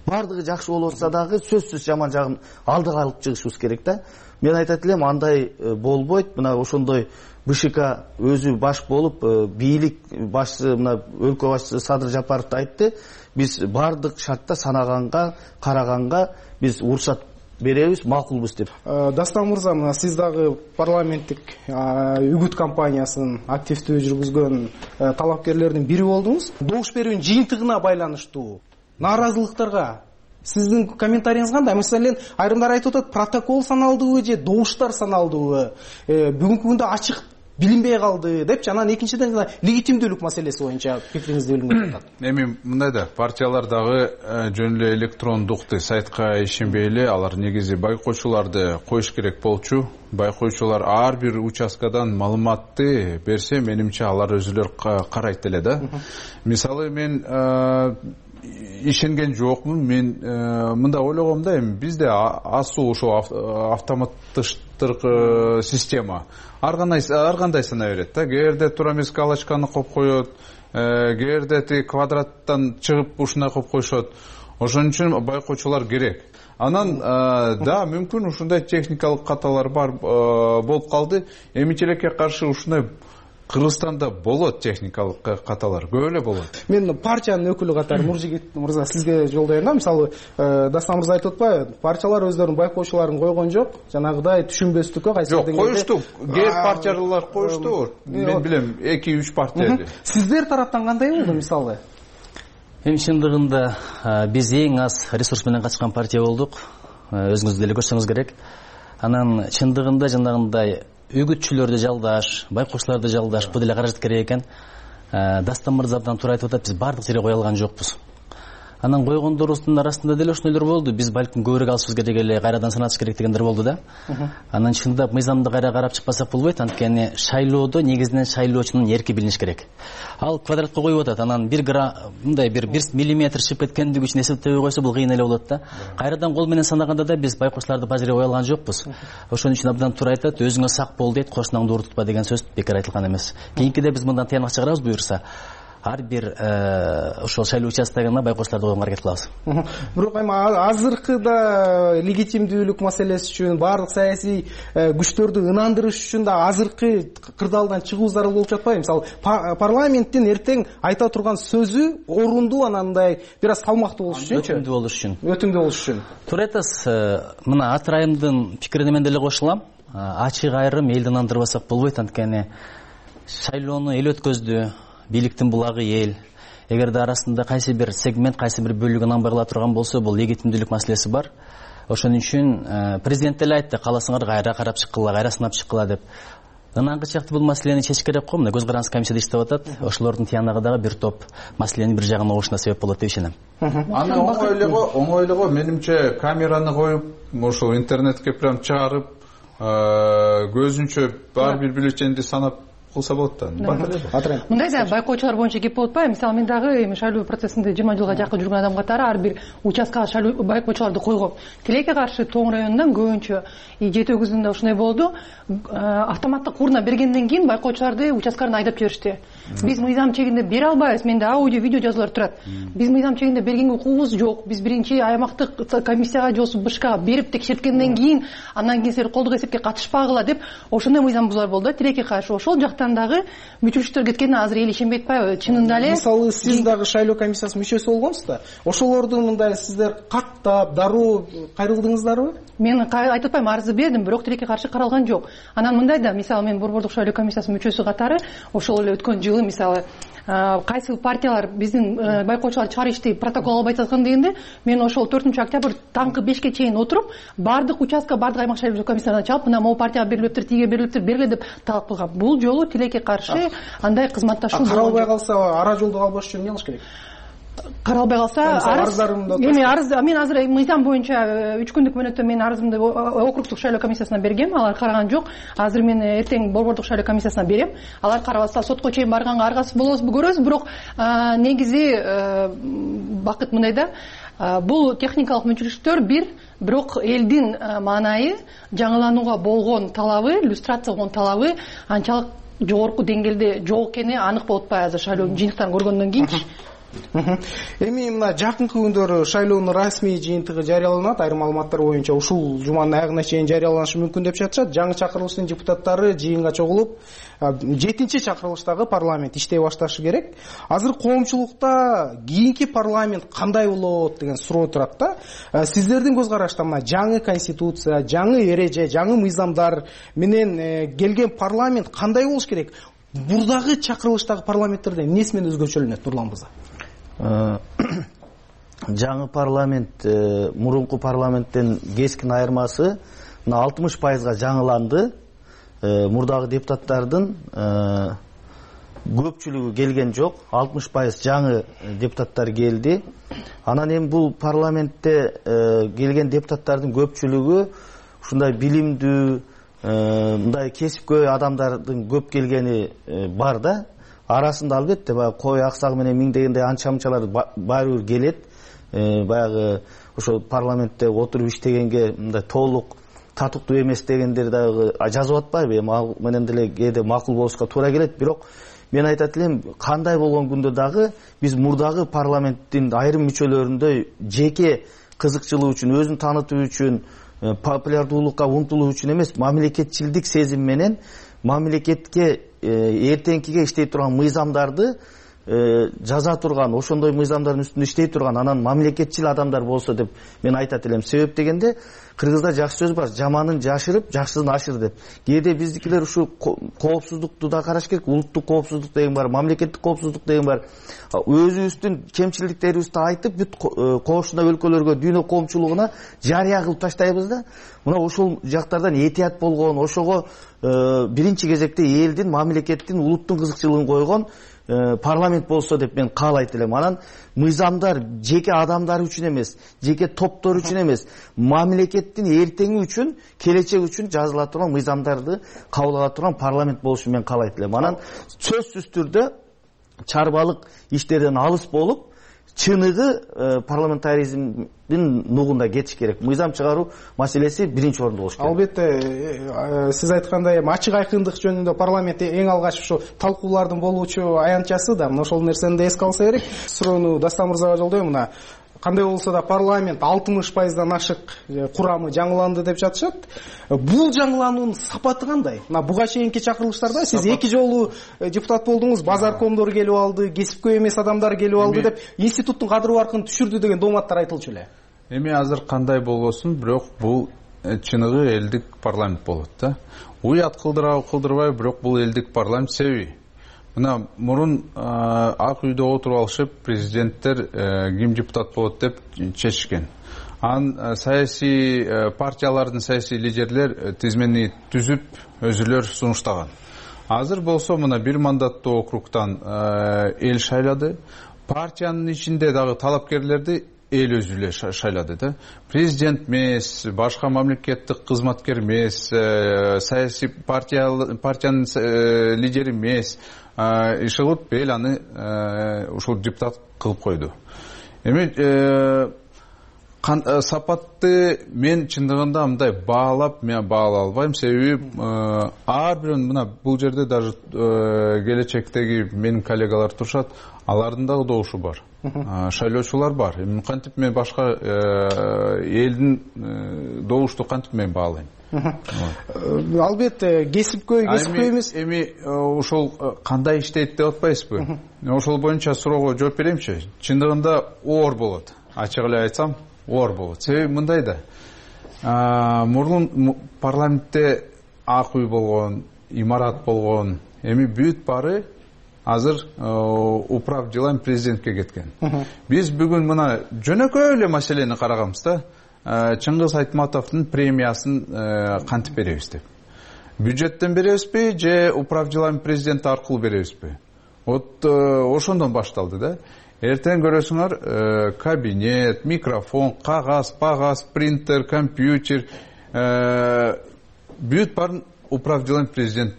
Бардыгы жакшы болуп атса дагы сөзсүз жаман жагын алдыга алып чыгышыбыз керек да. Мен айтат элем, андай болбойт. Мына ошондой БШК өзү баш болуп, бийлик башчысы, мына өлкө башчысы Садыр Жапаров айтты. Биз бардык шартта санаганга, караганга биз уруксат беребиз, макулбуз деп. Дастан мырза, мына сиз дагы парламенттик үгүт кампаниясын активдүү жүргүзгөн талапкерлердин бири болдуңуз. Добуш берүүнүн жыйынтыгына байланыштуу нааразылыктарга сиздин комментарийиңиз кандай? Маселен, айрымдар айтып атат, протокол саналдыбы же добуштар саналдыбы? Бүгүнкү күндө ачык билинбей калды депчи. Анан экинчиден легитимдүүлүк маселеси боюнча пикириңизди билгим келет. Эми мындай да, партиялар дагы жөн эле электрондук сайтка ишенбей эле, алар негизи байкоочуларды коюш керек болчу. Байкоочулар ар бир участкадан маалыматты берсе, менимче алар өзүлөр карайт эле да. Мисалы мен ишенген жокмун. Мен мында ойлогом да, эми бизде асуу ошо автоматтыштыркы система ар кандай сана берет да. Кээде туура эмес галочканы коюп коет, кээде тиги квадраттан чыгып ушундай коюп коюшот. Ошон үчүн байкоочулар керек. Анан да, мүмкүн ушундай техникалык каталар бар болуп калды. Эми тилекке каршы ушундай Кыргызстанда болот техникалык каталар, көп эле болот. Мен партиянын өкүлү катары Нуржигит мырза сизге жолдойм да. Мисалы, Дастан мырза айтып атпайбы? Партиялар өздөрүнүн байкоочуларын койгон жок, жанагыдай түшүнбөстүккө кайсы деңгээлде. Жок, коюшту. Кээ партиялар коюшту. Мен билем, 2-3 партия эле. Сиздер тараптан кандай болду мисалы? Эми чындыгында биз эң аз ресурс менен качкан партия болдук. Өзүңүз деле көрсөңүз керек. Анан чындыгында жанагындай үгүтчүлөрдү жалдаш, байкоочуларды жалдаш, бул деле каражат керек экен. Дастан мырза абдан туура айтып атат, биз бардык жерге кое алган жокпуз. Анан койгондорубуздун арасында деле ошондойлор болду. Биз балким көбүрөөк алышыбыз керек эле, кайрадан санатыш керек дегендер болду да. Анан чындап мыйзамды кайра карап чыкпасак болбойт, анткени шайлоодо негизинен шайлоочунун эрки билиниш керек. Ал квадратка коюп атат, анан мындай бир миллиметр чыгып кеткендиги үчүн эсептебей койсо бул кыйын эле болот да. Кайрадан кол менен санаганда да биз байкочларды бажырай кое алган жокпуз. Ошон үчүн абдан туура айтат, өзүңө сак бол дейт, кошунаңды ууртутпа деген сөз бекер айтылган эмес. Кийинкиде биз мындан тыянак чыгарабыз буюрса. Ар бир ошол шайлоо участкагына байкочларды койгонго аракет кылабыз. Бирок эми азыркыда легитимдүүлүк маселеси үчүн, баардык саясий күчтөрдү ынандырыш үчүн да азыркы кырдаалдан чыгуу зарыл болуп жатпайбы? Мисалы, парламенттин эртең айта турган сөзү орундуу, анандай бир аз салмактуу болуш үчүн. Өтүмдүү болуш үчүн. Туура айтасыз. Мына Атырайымдын пикирине мен деле кошулам. Ачык айрым элди ынандырбасак болбойт, анткени шайлоону эл өткөздү. Бийликтин булагы эл. Эгерде арасында кайсы бир сегмент, кайсы бир бөлүгү ынанбай кала турган болсо, бул легитимдүүлүк маселеси бар. Ошон үчүн президент деле айтты, кааласаңар кайра карап чыккыла, кайра сынап чыккыла деп. Ынангы чакты бул маселени чечиш керек го. Мына көз карандысыз комиссияда иштеп атат. Ошолордун тыянагы дагы бир топ маселенин бир жагына угушуна себеп болот деп ишенем. Аны оңой эле го, менимче камераны коюп, ошол интернетке прям чыгарып, көзүнчө бар бир бюллетенди санап кылса болот да. Мындай да байкоочулар боюнча кеп болуп атпайбы? Мисалы, мен дагы эми шайлоо процессинде 20 жылга жакын жүргөн адам катары ар бир участкага шайлоо байкоочуларды койгом. Тилекке каршы Тоң районунан көбүнчө 7-9-ында ушундай болду. Автоматтык урна бергенден кийин байкоочуларды участкаларына айдап жиберишти. Биз мыйзам чегинде бере албайбыз. Менде аудио, видео жазуулар турат. Биз мыйзам чегинде бергенге укугубуз жок. Биз биринчи аймактык комиссияга же БШКга берип текшерткенден кийин, андан кийин силер колдук эсепке катышпагыла деп ошондой мыйзам бузуулар болду. Тилекке каршы ошол жактан дагы мүчөлүктөр кеткенине азыр эл ишенбей атпайбы? Чынында эле. Мисалы, сиз дагы шайлоо комиссиясынын мүчөсү болгонсуз да. Ошолорду мындай сиздер каттап, дароо кайрылдыңыздарбы? Мен айтып атпайм, арызды бердим, бирок тилекке каршы каралган жок. Анан мындай да, мисалы, мен Борбордук шайлоо комиссиясынын мүчөсү катары ошол эле өткөн жылы, мисалы, кайсы партиялар биздин байкоочулар чыгар ишти протокол албай жаткан дегенде, мен ошол 4-октябрь таңкы 5-ке чейин отуруп, бардык участка, бардык аймак шайлоо комиссияларына чалып, мына могу партияга берилиптир, тиге берилиптир, бергиле деп талап кылгам. Бул жолу тилекке каршы андай кызматташуу каралбай калса, ара жолду албаш үчүн эмне кылыш керек? Каралбай калса, эми арыз, мен азыр мыйзам боюнча 3 күндүк мөөнөттө мен арызымды округдук шайлоо комиссиясына бергем, алар караган жок. Азыр мен эртең Борбордук шайлоо комиссиясына берем. Алар карабаса сотко чейин барганга аргасыз болобузбу көрөбүз, бирок негизи бакыт мындай да, бул техникалык мүмкүнчүлүктөр бирок элдин маанайы, жаңыланууга болгон талабы, иллюстрация болгон талабы анчалык жогорку деңгээлде жок экени анык болуп атпайбы азыр шайлоо жыйынтыктарын көргөндөн кийинчи. Эми мына жакынкы күндөрү шайлоонун расмий жыйынтыгы жарыяланат. Айрым маалыматтар боюнча ушул жуманын аягына чейин жарыяланышы мүмкүн деп жатышат. Жаңы чакырылыштын депутаттары жыйынга чогулуп, 7-чи чакырылыштагы парламент иштей башташы керек. Азыр коомчулукта кийинки парламент кандай болот деген суроо турат да. Сиздердин көз карашта мына жаңы конституция, жаңы эреже, жаңы мыйзамдар менен келген парламент кандай болуш керек? Бурдагы чакырылыштагы парламенттерден эмнеси менен өзгөчөлөнөт, Нурлан мырза? Жаңы парламент мурунку парламенттен кескин айырмасы 60%га жаңыланды. Мурдагы депутаттардын көпчүлүгү келген жок, 60% жаңы депутаттар келди. Анан эми бул парламентте келген депутаттардын көпчүлүгү ушундай билимдүү, мындай кесипкөй адамдардын көп келгени бар да. Арасында албетте баягы кой аксагы менен миңдегендей анча-мынчалар баары бир келет. Баягы ошол парламентте отуруп иштегенге мындай толук татыктуу эмес дегендер дагы жазып атпайбы? Эми ал менен деле кээде макул болушка туура келет. Бирок мен айтат элем, кандай болгон күндө дагы биз мурдагы парламенттин айрым мүчөлөрүндөй жеке кызыкчылык үчүн, өзүн таанытуу үчүн, популярдуулукка умтулуу үчүн эмес, мамлекетчилдик сезим менен мамлекетке эртеңкиге иштей турган мыйзамдарды жаза турган, ошондой мыйзамдардын үстүндө иштей турган, анан мамлекетчил адамдар болсо деп мен айтат элем. Себеп дегенде кыргызда жакшы сөз бар, жаманын жашырып, жакшысын ашыр деп. Кээде биздикилер ушу коопсуздукту да караш керек, улуттук коопсуздук деген бар, мамлекеттик коопсуздук деген бар. Өзүбүздүн кемчиликтерибизди айтып, бүт кошуна өлкөлөргө, дүйнө коомчулугуна жарыя кылып таштайбыз да. Мына ошол жактардан этият болгон, ошого биринчи кезекте элдин, мамлекеттин, улуттун кызыкчылыгын койгон парламент болсо деп мен каалайт элем. Анан мыйзамдар жеке адамдар үчүн эмес, жеке топтор үчүн эмес, мамлекеттин эртеңи үчүн, келечеги үчүн жазыла турган мыйзамдарды кабыл ала турган парламент болушун мен каалайт элем. Анан сөзсүз түрдө чарбалык иштерден алыс болуп, чыныгы парламентаризмдин нугунда кетиш керек. Мыйзам чыгаруу маселеси биринчи орунда болуш керек. Албетте, сиз айткандай ачык айкындык жөнүндө парламент эң алгач ушу талкуулардын болуучу аянтчасы да. Ошол нерсени да эске алса керек. Суроону Дастан мырзага жолдойм. Мына кандай болсо да парламент 60%дан ашык курамы жаңыланды деп жатышат. Бул жаңылануунун сапаты кандай? Мына буга чейинки чакырылыштарда сиз 2 жолу депутат болдуңуз, базаркомдор келип алды, кесипкөй эмес адамдар келип алды деп институттун кадыр баркын түшүрдү деген дооматтар айтылчу эле. Эми азыр кандай болбосун, бирок бул чыныгы элдик парламент болот да. Уят кылдырбай, бирок бул элдик парламент себеби. Мына мурун ак үйдө отуруп алышып, президенттер ким депутат болот деп чечишкен. Саясий партиялардын саясий лидерлер тизмени түзүп, өзүлөр сунуштаган. Азыр болсо мына бир мандаттуу округтан эл шайлады. Партиянын ичинде дагы талапкерлерди эл өзү эле шайлады да. Президент эмес, башка мамлекеттик кызматкер эмес, саясий партиянын лидери эмес, ишылып эл аны ушул депутат кылып койду. Эми сапатты мен чындыгында мындай мен баалай албайм. Себеби ар бирөөнүн мына бул жерде даже келечектеги менин коллегалар турушат, алардын дагы добушу бар. Шайлоочулар бар. Кантип мен башка элдин добушту кантип мен баалайм. Албетте кесипкөй эмес. Эми ошол кандай иштейт деп атпайсызбы? Ошол боюнча суроого жооп беремчи. Чындыгында оор болот. Ачык эле айтсам, оор болот. Себеби мындай да. Мурун парламентте ак үй болгон, имарат болгон. Эми бүт баары азыр управ делами президентке кеткен. Биз бүгүн мына жөнөкөй эле маселени караганбыз да. Чыңгыз Айтматовдун премиясын кантип беребиз деп. Бюджеттен беребизби же управ делами президенти аркылуу беребизби? Вот ошондон башталды да. Эртең көрөсүңөр кабинет, микрофон, кагаз, принтер, компьютер бүт баарын управ делами президент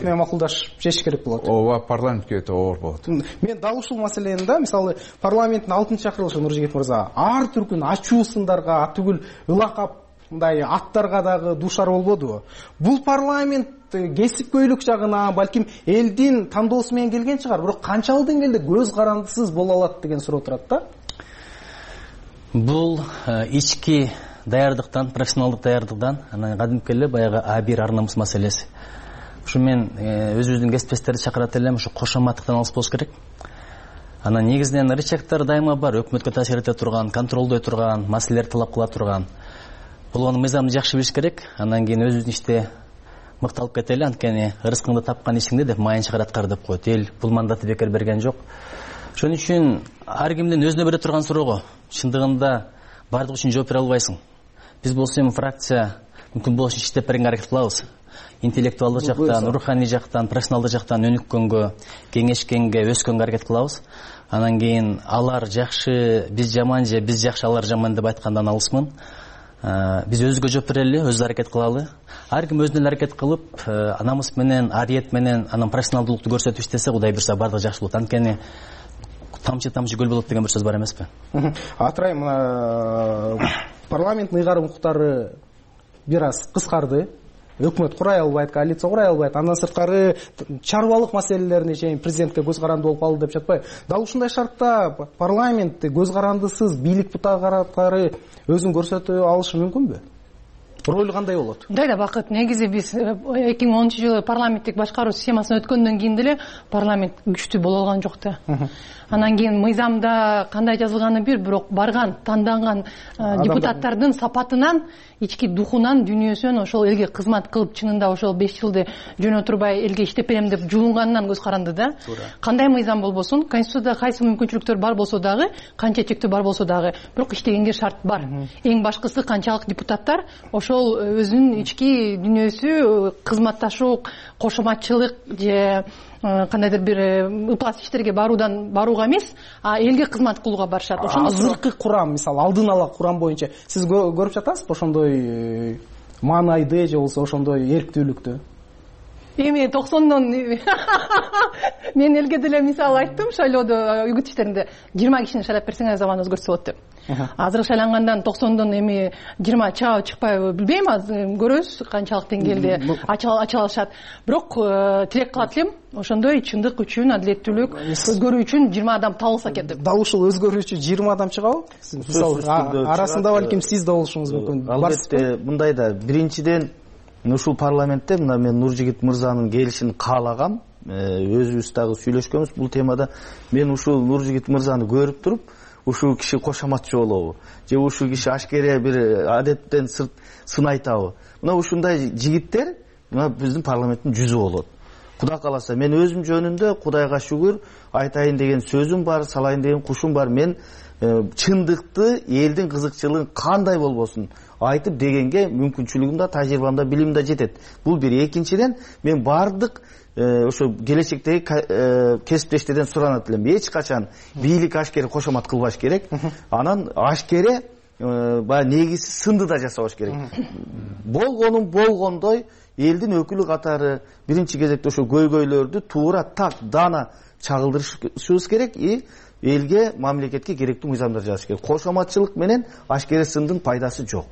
менен макулдашып чечиш керек болот. Ооба, парламентке өтө оор болот. Мен дал ушул маселени да, мисалы парламенттин 6-чакырылышы Нуржигит мырза ар түркүн ачуу сындарга, атүгүл ылакап мындай аттарга дагы дуушар болбодубу? Бул парламент кесипкөйлүк жагына, балким элдин тандоосу менен келген чыгар, бирок канчалык деңгээлде көз карандысыз боло алат деген суроо турат да. Бул ички даярдыктан, профессионалдык даярдыктан, анан кадимки эле баягы А1 ар-намыс маселеси. Ушу мен өзүбүздүн кесиптештерди чакырат элем, ушу кошоматтыктан алыс болуш керек. Анан негизинен рычагдар дайыма бар, өкмөткө таасир эте турган, контролдой турган, маселелерди талап кыла турган. Болгону мыйзамды жакшы билиш керек. Андан кийин өзүбүздүн иште мыкталып кетели, анткени ырыскыңды тапкан ишиңди деп майын чыгар аткар деп коет. Эл бул мандатты бекер берген жок. Ошон үчүн ар кимдин өзүнө бере турган суроого чындыгында бардык үчүн жооп бере албайсың. Биз болсо эми фракция мүмкүн болуш иштеп беренге аракет кылабыз. Интеллектуалдык жактан, руханий жактан, профессионалдык жактан өнүккөнгө, кеңешкенге, өскөнгө аракет кылабыз. Анан кийин алар жакшы, биз жаман же биз жакшы, алар жаман деп айткандан алысмын. Биз өзүбүзгө жооп берели, өзүбүз аракет кылалы. Ар ким өзүнө аракет кылып, намыс менен, ариет менен, анан профессионалдуулукту көрсөтүп иштесе, Кудай буйрса бардыгы жакшы болот. Анткени тамчы көл болот деген бир сөз бар эмеспи? Атырай, мына парламенттин ыйгарым укуктары бир аз кыскарды. Өкмөт курай албайт, коалиция курай албайт. Андан сырткары чарбалык маселелерине чейин президентке көз каранды болуп калды деп жатпайбы? Дал ушундай шартта парламент көз карандысыз бийлик бутакары өзүн көрсөтө алышы мүмкүнбү? Ролу кандай болот? Мындай да Бакыт, негизи биз 2010-жылы парламенттик башкаруу системасына өткөндөн кийин деле парламент күчтүү боло алган жок да. Анан кийин мыйзамда кандай жазылганы бирок барган, танданган депутаттардын сапатынан, ички духунан, дүйнөсүнөн ошол элге кызмат кылып, чынында ошол 5 жылды жөнө турбай элге иштеп берем деп жулунганынан көз каранды да. Кандай мыйзам болбосун, конституцияда кайсы мүмкүнчүлүктөр бар болсо дагы, канча чектөө бар болсо дагы, бирок иштегенге шарт бар. Эң башкысы канчалык депутаттар ошол ошол өзүнүн ички дүйнөсү кызматташуу, кошоматчылык же кандайдыр бир ыплас иштерге барууга эмес, а элге кызмат кылууга барышат. Азыркы курам, мисалы алдын ала курам боюнча сиз көрүп жатасызбы ошондой маанайды же болбосо ошондой эрктүүлүктү? Эми 90дон мен элге деле мисал айттым шайлоодо, үгүт иштеринде 20 кишини шайлап берсеңер заман өзгөртсө болот деп. Азыр шайлангандан 90дон эми 20 чыгабы чыкпайбы билбейм, азыр көрөбүз канчалык деңгээлде ачыла алышат. Бирок тилек кылат элем, ошондой чындык үчүн, адилеттүүлүк өзгөрүү үчүн 20 адам табылса экен деп. Дал ушул өзгөрүү үчүн 20 адам чыгабы? Мисалы арасында балким сиз да болушуңуз мүмкүн. Албетте, мындай да биринчиден ушул парламентте мына мен Нуржигит мырзанын келишин каалагам. Өзүбүз дагы сүйлөшкөнбүз бул темада. Мен ушул Нуржигит мырзаны көрүп туруп, ушул киши кошоматчы болобу же ушул киши ашкере бир адеттен сырт сын айтабы? Мына ушундай жигиттер мына биздин парламенттин жүзү болот. Кудай кааласа, мен өзүм жөнүндө Кудайга шүгүр айтайын деген сөзүм бар, салайын деген кушум бар. Мен чындыкты, элдин кызыкчылыгын кандай болбосун айтып дегенге мүмкүнчүлүгүм да, тажрыйбам да, билимим да жетет. Бул бир. Экинчиден, мен бардык ошо келечектеги кесиптештерден суранат элем. Эч качан бийлик ашкере кошомат кылбаш керек. Анан ашкере баягы негизсиз сынды да жасабаш керек. Болгонун болгондой элдин өкүлү катары биринчи кезекте ошо көйгөйлөрдү туура так дана чагылдырышыбыз керек и элге, мамлекетке керектүү мыйзамдар жазыш керек. Кошоматчылык менен ашкере сындын пайдасы жок.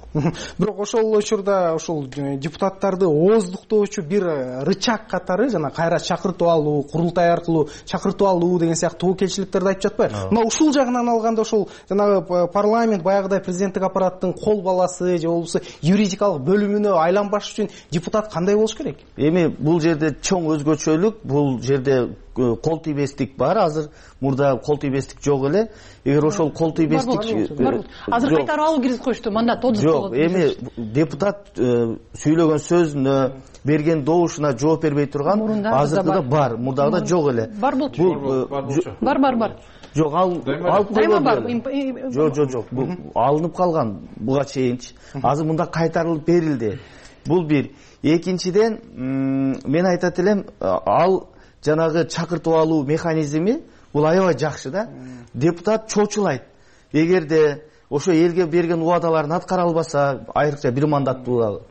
Бирок ошол учурда ошол депутаттарды ооздуктоочу бир рычаг катары жана кайра чакыртып алуу, курултай аркылуу чакыртып алуу деген сыяктуу тобокелчиликтерди айтып жатпайбы? Мына ушул жагынан алганда ошол жанагы парламент баягыдай президенттик аппараттын кол баласы же болбосо юридикалык бөлүмүнө айланбаш үчүн депутат кандай болуш керек? Эми бул жерде чоң өзгөчөлүк, бул жерде кол тийбестик бар. Азыр мурда кол тийбестик жок эле. Эгер ошол кол тийбестик азыр кайтарып алуу киргизип коюшту, мандат жок. Эми депутат сүйлөгөн сөзүнө, берген добушуна жооп бербей турган азыркыда бар, мурдагыда жок эле. Бар болчу. Бар. Жок, алып койгон. Жок. Бул алынып калган буга чейинчи. Азыр мында кайтарылып берилди. Бул бир. Экинчиден, мен айтат элем, ал жанагы чакыртып алуу механизми бул аябай жакшы да. Депутат чочулайт. Эгерде ошо элге берген убадаларын аткара албаса, айрыкча бир мандаттуу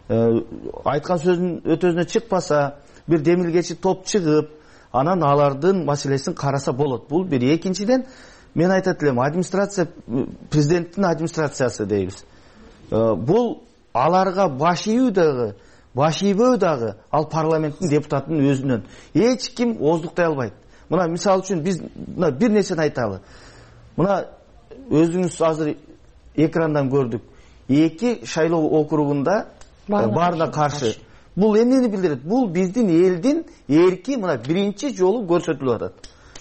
айткан сөзүнүн өтөзүнө чыкпаса, бир демилгечи топ чыгып, анан алардын маселесин караса болот. Бул бир. Экинчиден, мен айтат элем, администрация, президенттин администрациясы дейбиз. Бул аларга баш ийбөө дагы ал парламенттин депутатынын өзүнөн. Эч ким ооздуктай албайт. Мына мисалы үчүн биз мына бир нерсени айталы. Мына өзүңүз азыр экрандан көрдүк. 2 шайлоо округунда баарына каршы. Бул эмнени билдирет? Бул биздин элдин эрки мына биринчи жолу көрсөтүлүп атат.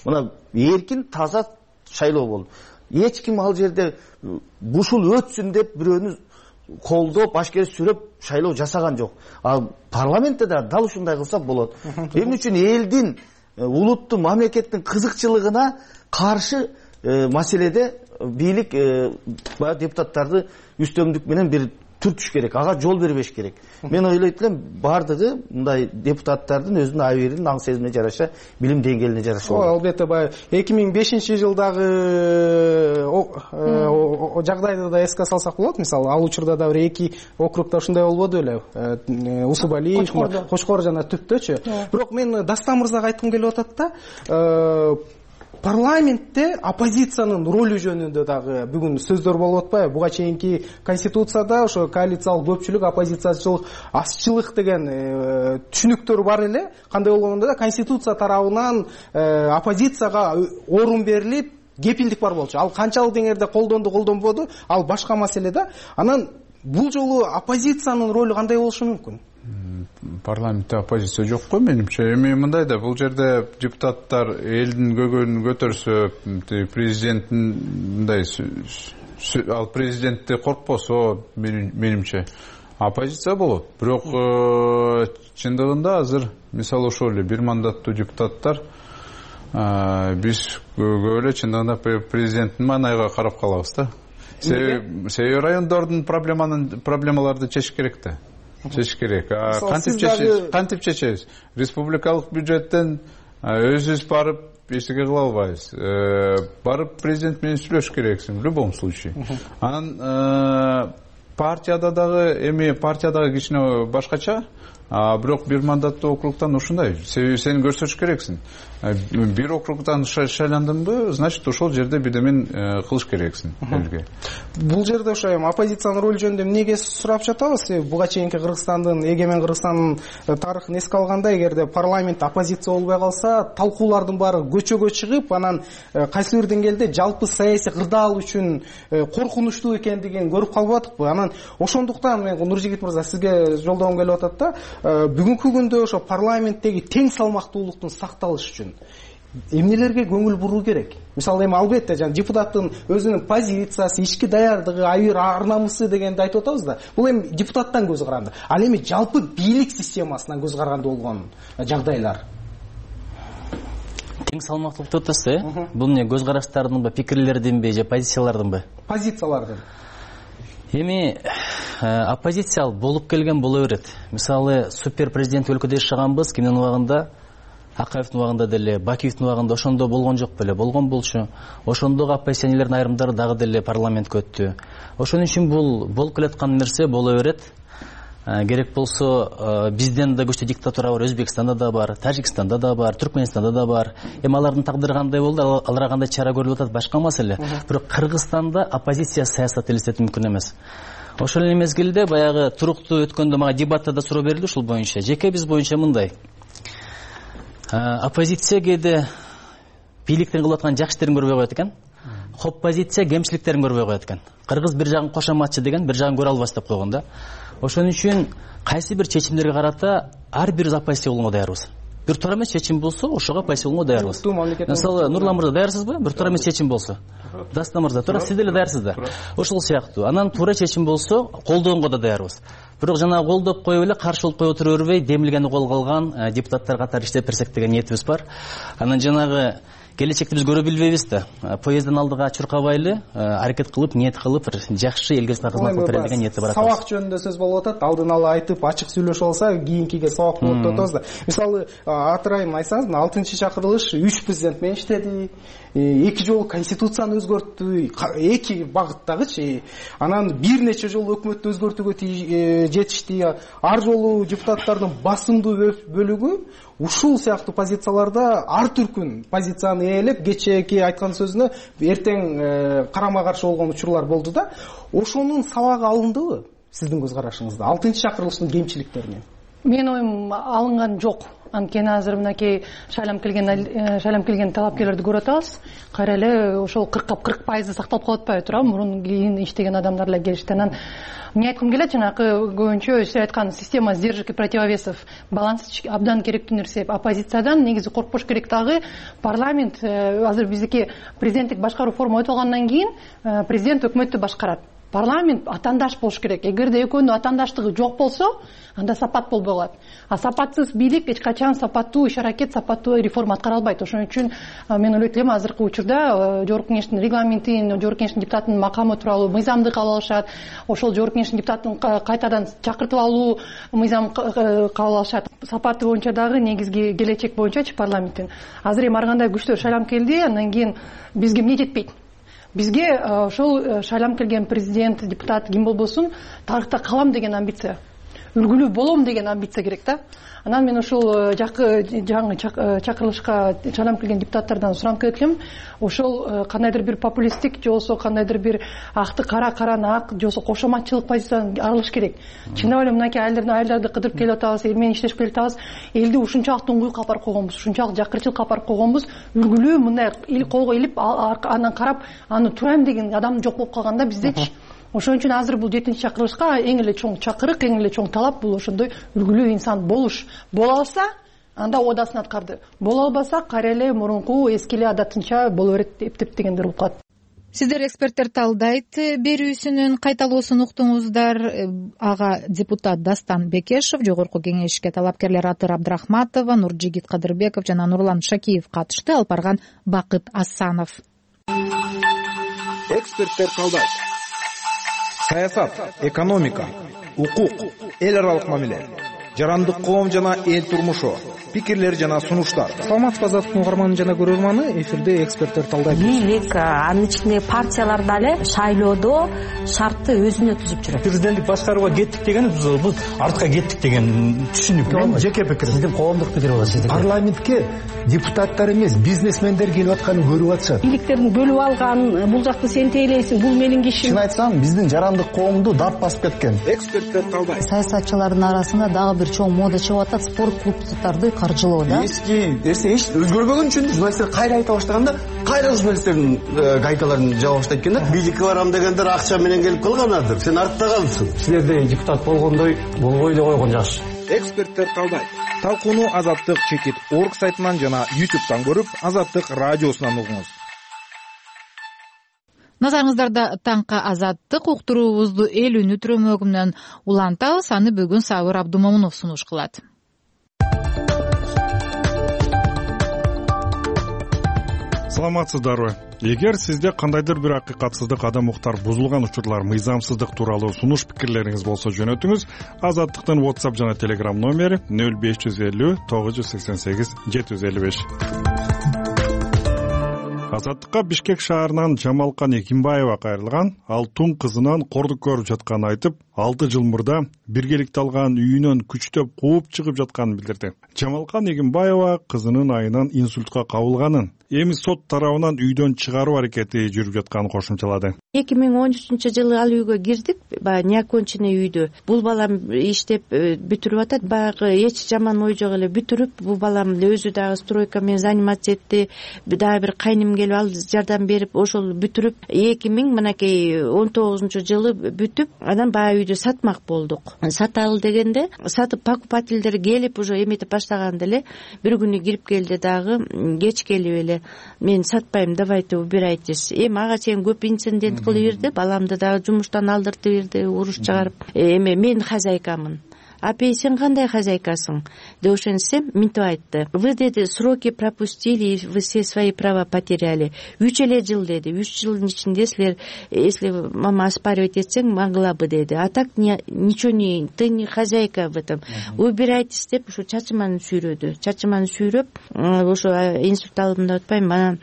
Мына эркин таза шайлоо болду. Эч ким ал жерде ушул өтсүн деп бирөөнү колдоп, ашкере сүрөп шайлоо жасаган жок. Ал парламентте да дал ушундай кылса болот. Эмне үчүн элдин, улуттун, мамлекеттин кызыкчылыгына каршы маселеде бийлик депутаттарды үстөмдүк менен бир түртүш керек, ага жол бербеш керек. Мен ойлойт элем, бардыгы мындай депутаттардын өзүнүн абийирин, аң сезимине жараша, билим деңгээлине жараша болот. Албетте, баягы 2005-жылдагы жагдайды да эске салсак болот. Мисалы, ал учурда да бир 2 округда ушундай болбоду беле? Усубали, Кочкор жана Түптөчү. Бирок мен Дастан мырзага айткым келип атат да, парламентте оппозициянын ролу жөнүндө дагы бүгүн сөздөр болуп атпайбы? Буга чейинки конституцияда ошо коалициялык көпчүлүк, оппозициячылык, азчылык деген түшүнүктөр бар эле. Кандай болгондо да конституция тарабынан оппозицияга орун берилип, кепилдик бар болчу. Ал канчалык деңгээлде колдонбоду, ал башка маселе да. Анан бул жолу оппозициянын ролу кандай болушу мүмкүн? Парламентте оппозиция жок го менимче. Эми мындай да, бул жерде депутаттар элдин көйгөйүн көтөрсө, президенттин мындай ал президентти коркпосо, менимче оппозиция болот. Бирок чындыгында азыр мисалы ошол эле бир мандаттуу депутаттар биз көп эле чындыгында президенттин маанайга карап калабыз да. себеби райондордун проблемаларды чечиш керек да. Чечиш керек. Кантип чечебиз? Республикалык бюджеттен өзүбүз барып эчтеке кыла албайбыз. Барып президент менен сүйлөшүш керексиң в любом случае. Анан партияда дагы кичине башкача, бирок бир мандаттуу округтан ушундай. Себеби сен көрсөтүш керексиң. Бир округтан шайландыңбы, значит ошол жерде бирдемен кылыш керексиң элге. Бул жерде ошо оппозициянын ролу жөнүндө эмнеге сурап жатабыз? Буга чейинки Кыргызстандын, эгемен Кыргызстандын тарыхын эске алганда, эгерде парламент оппозиция болбой калса, талкуулардын баары көчөгө чыгып, анан кайсы бир деңгээлде жалпы саясий кырдаал үчүн коркунучтуу экендигин көрүп калып атыкпы? Анан ошондуктан мен Нуржигит мырза сизге жолдогум келип атат да, бүгүнкү күндө ошо парламенттеги тең салмактуулуктун сакталышы үчүн эмнелерге көңүл буруу керек? Мисалы албетте депутаттын өзүнүн позициясы, ички даярдыгы, ар намысы дегенди айтып атабыз да. Бул депутаттан көз каранды. Ал жалпы бийлик системасынан көз каранды болгон жагдайлар. Тең салмактуулук деп атасыз, бул эмне көз караштардынбы, пикирлердинби же позициялардынбы? Позициялардын. Оппозиция болуп келген боло берет. Мисалы супер президент өлкөдө жашаганбыз, кимдин убагында, Акаевдин убагында деле, Бакиевдин убагында ошондо болгон жок беле, болгон болчу. Ошондогу оппозиционерлердин айрымдары дагы деле парламентке өттү. Ошон үчүн бул болуп келаткан нерсе боло берет. Керек болсо бизден да көчтүү диктатура бар, Өзбекстанда да бар, Тажикстанда да бар, Түркмөнстанда да бар. Алардын тагдыры кандай болду, аларга кандай чара көрүлүп атат, башка маселе. Бирок Кыргызстанда оппозиция саясат элестетүү мүмкүн эмес. Ошол эле мезгилде баягы туруктуу өткөндө мага дебатта да суроо берилди ушул боюнча. Жеке биз боюнча мындай. Оппозиция кээде бийликтин кылып аткан жакшы иштерин көрбөй коет экен. Оппозиция кемчиликтерин көрбөй коет экен. Кыргыз бир жагын кошоматчы деген, бир жагын көрө албас деп койгон да. Ошон үчүн кайсы бир чечимдерге карата ар бир оппозиция болууга даярбыз. Бир туура эмес чечим болсо, ошого оппозиция болууга даярбыз. Мисалы, Нурлан мырза даярсызбы? Бир туура эмес чечим болсо. Дастан мырза, туура сиз деле даярсыз да. Ошол сыяктуу. Анан туура чечим болсо, колдоонго да даярбыз. Бирок жанагы колдоп коюп эле каршы болуп кое отура бербей, демилгени колго алган депутаттар катары иштеп берсек деген ниетибиз бар. Анан жанагы келечекти биз көрө билбейбиз да. Поезддин алдыга чуркабайлы, аракет кылып, ниет кылып, жакшы элге кызмат кылып берели деген ниети бар. Сабак жөнүндө сөз болуп атат. Алдын ала айтып, ачык сүйлөшүп алса, кийинкиге сабак болот деп атабыз да. Мисалы, атырайым айсаңыз, 6-чы чакырылыш 3 президент менен иштеди. 2 жолу конституцияны өзгөрттү, 2 багыттагычы. Анан бир нече жолу өкмөттү өзгөртүүгө жетишти. Ар жолу депутаттардын басымдуу бөлүгү ушул сыяктуу позицияларда ар түркүн позицияны ээлеп, кечээки айткан сөзүнө эртең карама каршы болгон учурлар болду да. Ошонун сабагы алындыбы сиздин көз карашыңызда 6-чы чакырылыштын кемчиликтерине? Менин оюм алынган жок. Анткени азыр мынакей шайлам келген талапкерлерди көрүп атабыз. Кайра эле ошол 40% сакталып калып атпайбы туурабы? Мурун кийин иштеген адамдар эле келишти. Анан эмне айткым келет, жанакы көбүнчө сиз айткан система сдержек и противовесов, баланс абдан керектүү нерсе. Оппозициядан негизи коркпош керек дагы. Парламент азыр биздики президенттик башкаруу форма өтүп алгандан кийин президент өкмөттү башкарат. Парламент атандаш болуш керек. Эгерде экөөнүн атандаштыгы жок болсо, анда сапат болбой калат. А сапатсыз бийлик эч качан сапаттуу иш аракет, сапаттуу реформа аткара албайт. Ошон үчүн мен ойлойт элем азыркы учурда Жогорку Кеңештин регламентин, Жогорку Кеңештин депутатынын макамы тууралуу мыйзамды кабыл алышат. Ошол Жогорку Кеңештин депутатын кайтадан чакыртып алуу мыйзам кабыл алышат. Сапаты боюнча дагы негизги келечек боюнчачы парламенттин. Азыр эми ар кандай күчтөр шайланып келди, андан кийин бизге эмне жетпейт? Бизге ошол шайланып келген президент, депутат ким болбосун, тарыхта калам деген амбиция, үлгүлүү болом деген амбиция керек да. Анан мен ошол жаңы чакырылышка шайланып келген депутаттардан суранып келет элем, ошол кандайдыр бир популисттик же болбосо кандайдыр бир акты караны ак же болбосо кошоматчылык позициядан арылыш керек. Чындап эле мынакей айылдарды кыдырып келип атабыз, эл менен иштешип келип атабыз. Элди ушунчалык туңгуюкка алып барып койгонбуз, ушунчалык жакырчылыкка алып барып койгонбуз. Үлгүлүү мындай колго илип анан карап, аны турайм деген адам жок болуп калганда биздечи. Ошон үчүн азыр бул 7-чи чакырылышка эң эле чоң чакырык, эң эле чоң талап бул ошондой үлгүлүү инсан болуш. Боло алса, анда одасын аткарды. Боло албаса, кайра эле мурунку эски эле адатынча боло берет эптеп дегендер болуп калат. Сиздер эксперттер талдайт берүүсүнүн кайталоосун уктуңуздар. Ага депутат Дастан Бекешев, Жогорку Кеңешке талапкерлер Атыр Абдрахматова, Нуржигит Кадырбеков жана Нурлан Шакиев катышты. Алып барган Бакыт Асанов. Эксперттер талдайт. саясат, экономика, укук, эл аралык мамиле, жарандык коом жана эл турмушу, пикирлер жана сунуштар. саламатсызбы азаттыктын угарманы жана көрөрманы, эфирде эксперттер талдайт. Бийлик, анын ичиндеги партиялар дагы шайлоодо шартты өзүнө түзүп жүрөт. Президенттик башкарууга кеттик деген бул артка кеттик деген түшүнүк. Мен жеке пикирим. Сиздин коомдук пикир болот сиздики. Парламентке депутаттар эмес, бизнесмендер келип атканын көрүп атышат. Бийликтердин бөлүп алган, бул жакты сен тейлейсиң, бул менин кишим. Чын айтсам, биздин жарандык коомду дап басып кеткен. Эксперттер талдайт. Саясатчылардын арасында дагы бир чоң мода чыгып атат, спорт клубдарды каржылоо да. Эски нерсе эч өзгөрбөгөн үчүн журналисттер кайра айта баштаганда, кайра журналисттердин гайталарын жаба баштайт экен да. Бийликке барам дегендер акча менен келип калганадыр. Сен артта калыпсың. Силерде депутат болгондой болбой эле койгон жакшы. Эксперттер талдайт. Талкууну Азаттык чекит орг сайтынан жана YouTube'дан көрүп, Азаттык радиосунан угуңуз. Назарыңыздарда таңкы Азаттык уктуруубузду эл үнү түрөмөгү менен улантабыз. Аны бүгүн Сабыр Абдумомунов сунуш кылат. Саламатсыздарбы? Эгер сизде кандайдыр бир акыйкатсыздык, адам укуктар бузулган учурлар, мыйзамсыздык тууралуу сунуш пикирлериңиз болсо жөнөтүңүз. Азаттыктын WhatsApp жана Telegram номери 0550 988 755. Азаттыкка Бишкек шаарынан Жамалкан Экимбаева кайрылган. Ал тун кызынан кордук көрүп жатканын айтып, 6 жыл мурда биргеликте алган үйүнөн күчтөп кууп чыгып жатканын билдирди. Жамалкан Экимбаева кызынын айынан инсультка кабылганын, эми сот тарабынан үйдөн чыгаруу аракети жүрүп жатканын кошумчалады. 2013-жылы ал үйгө кирдик, баягы неоконченный үйдө. Бул балам иштеп бүтүрүп атат, баягы эч жаман ой жок эле бүтүрүп, бул балам өзү дагы стройка менен заниматься этти. Дагы бир кайным келип ал жардам берип, ошол бүтүрүп 2019-жылы бүтүп, анан баягы үйдү сатмак болдук. Саталы дегенде, сатып покупательдер келип уже эметип баштаганда эле бир күнү кирип келди дагы, кеч келип эле мен сатпайм, давайте убирайтесь. Эми ага чейин көп инцидент кылып берди, баламды дагы жумуштан алдыртып берди, уруш чыгарып. Эми мен хозяйкамын. Апей, сен кандай хозяйкасың? Деп ошентсем, мынтип айтты. Вы, деди, сроки пропустили, вы все свои права потеряли. 3 эле жыл, деди. 3 жылдын ичинде силер, если мама оспаривать этсең, могла бы, деди. А так ничего не, ты не хозяйка в этом. Убирайтесь деп, ушу чачыманы сүйрөдү. Чачыманы сүйрөп, ошо инсульт алдым деп атпайм, анан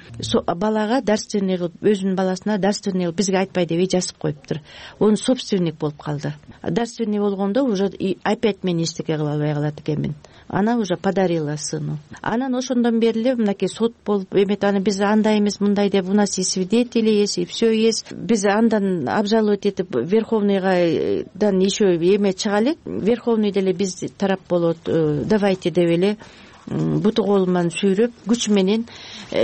балага дарственный кылып, өзүнүн баласына дарственный кылып бизге айтпай деп жазып коюптур. Он собственник болуп калды. Дарственный болгондо уже опять мен эчтеке кыла албай калат экенмин. Она уже подарила сыну. Анан ошондон бери эле мынакей сот болуп эмет, аны биз андай эмес мындай деп, у нас и свидетели есть, и все есть. Биз андан обжаловать этип Верховныйдан еще эме чыга элек. Верховный деле биз тарап болот, давайте деп эле буту кол менен сүйрөп, күч менен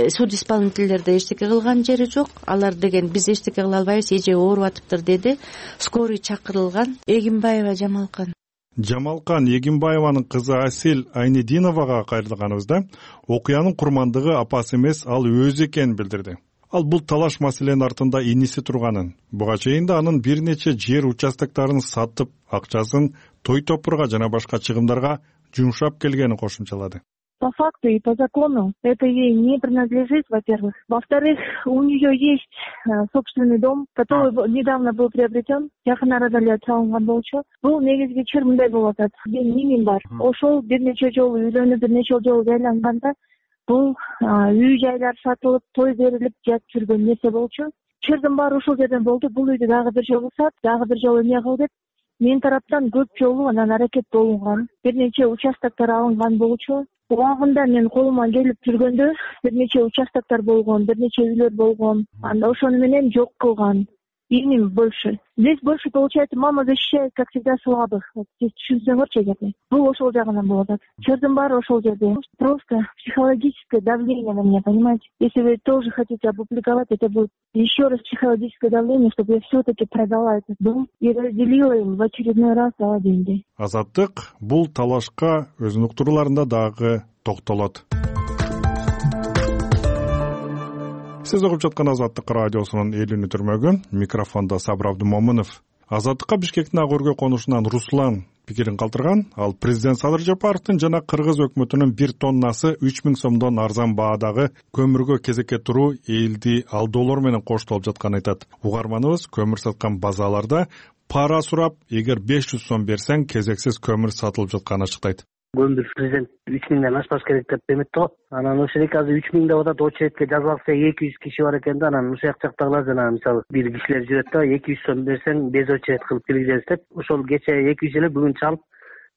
суд исполнительдерде эчтеке кылган жери жок. Алар деген биз эчтеке кыла албайбыз, эже ооруп атыптыр деди. Скорый чакырылган. Экимбаева Жамалкан. Жамалкан Экимбаеванын кызы Асил Айнединовага кайрылганыбызда окуянын курмандыгы апасы эмес, ал өзү экенин билдирди. Ал бул талаш маселенин артында иниси турганын, буга чейин да анын бир нече жер участоктарын сатып, акчасын той топурга жана башка чыгымдарга жумшап келгенин кошумчалады. По факту и по закону это ей не принадлежит, во-первых. Во-вторых, у нее есть собственный дом, который недавно был приобретен. Жакын арада эле салынган болчу. Бул негизги чыр мындай болуп атат. Менин бар. Ошол бир нече жолу үйлөнүп, бир нече жолу жайланганда бул үй жайлар сатылып, той берилип жатып жүргөн нерсе болчу. Чырдын баары ушул жерден болду. Бул үйдү дагы бир жолу сат, дагы бир жолу эмне кыл деп мен тараптан көп жолу анан аракет болунган. Бир нече участоктор алынган болчу. Убагында мен колума келип жүргөндө бир нече участоктор болгон, бир нече үйлөр болгон. Анда ошону менен жок кылган. Им больше. Здесь больше, получается, мама защищает, как всегда, слабых. Здесь түшүнсөңөрчү эгерде. Бул ошол жагынан болот. Чырдын баары ошол жерде. Просто психологическое давление на меня, понимаете? Если вы тоже хотите опубликовать, это будет еще раз психологическое давление, чтобы я все-таки продала этот дом и разделила им в очередной раз дала деньги. Азаттык бул талашка өзүнүн уктурууларында дагы токтолот. Сиз угуп жаткан Азаттык радиосунун эл үнү түрмөгү, микрофондо Сабыр Абдумомунов. Азаттыкка Бишкектин ак өргө конушунан Руслан пикирин калтырган. Ал президент Садыр Жапаровдун жана Кыргыз өкмөтүнүн 1 тоннасы 3000 сомдон арзан баадагы көмүргө кезекке туруу элди алдоолор менен коштолуп жатканын айтат. Угарманыбыз көмүр саткан базаларда пара сурап, эгер 500 сом берсең кезексиз көмүр сатылып жатканын ачыктайт. Көмүр президент 3000ден ашпаш керек деп эметти го. Анан ошол эки азыр 3000 деп атат, очередке жазылса 200 киши бар экен да, анан ушул жактагылар жана мисалы бир кишилер жүрөт да, 200 сом берсең без очеред кылып киргизебиз деп, ошол кече 200 эле бүгүн чалып,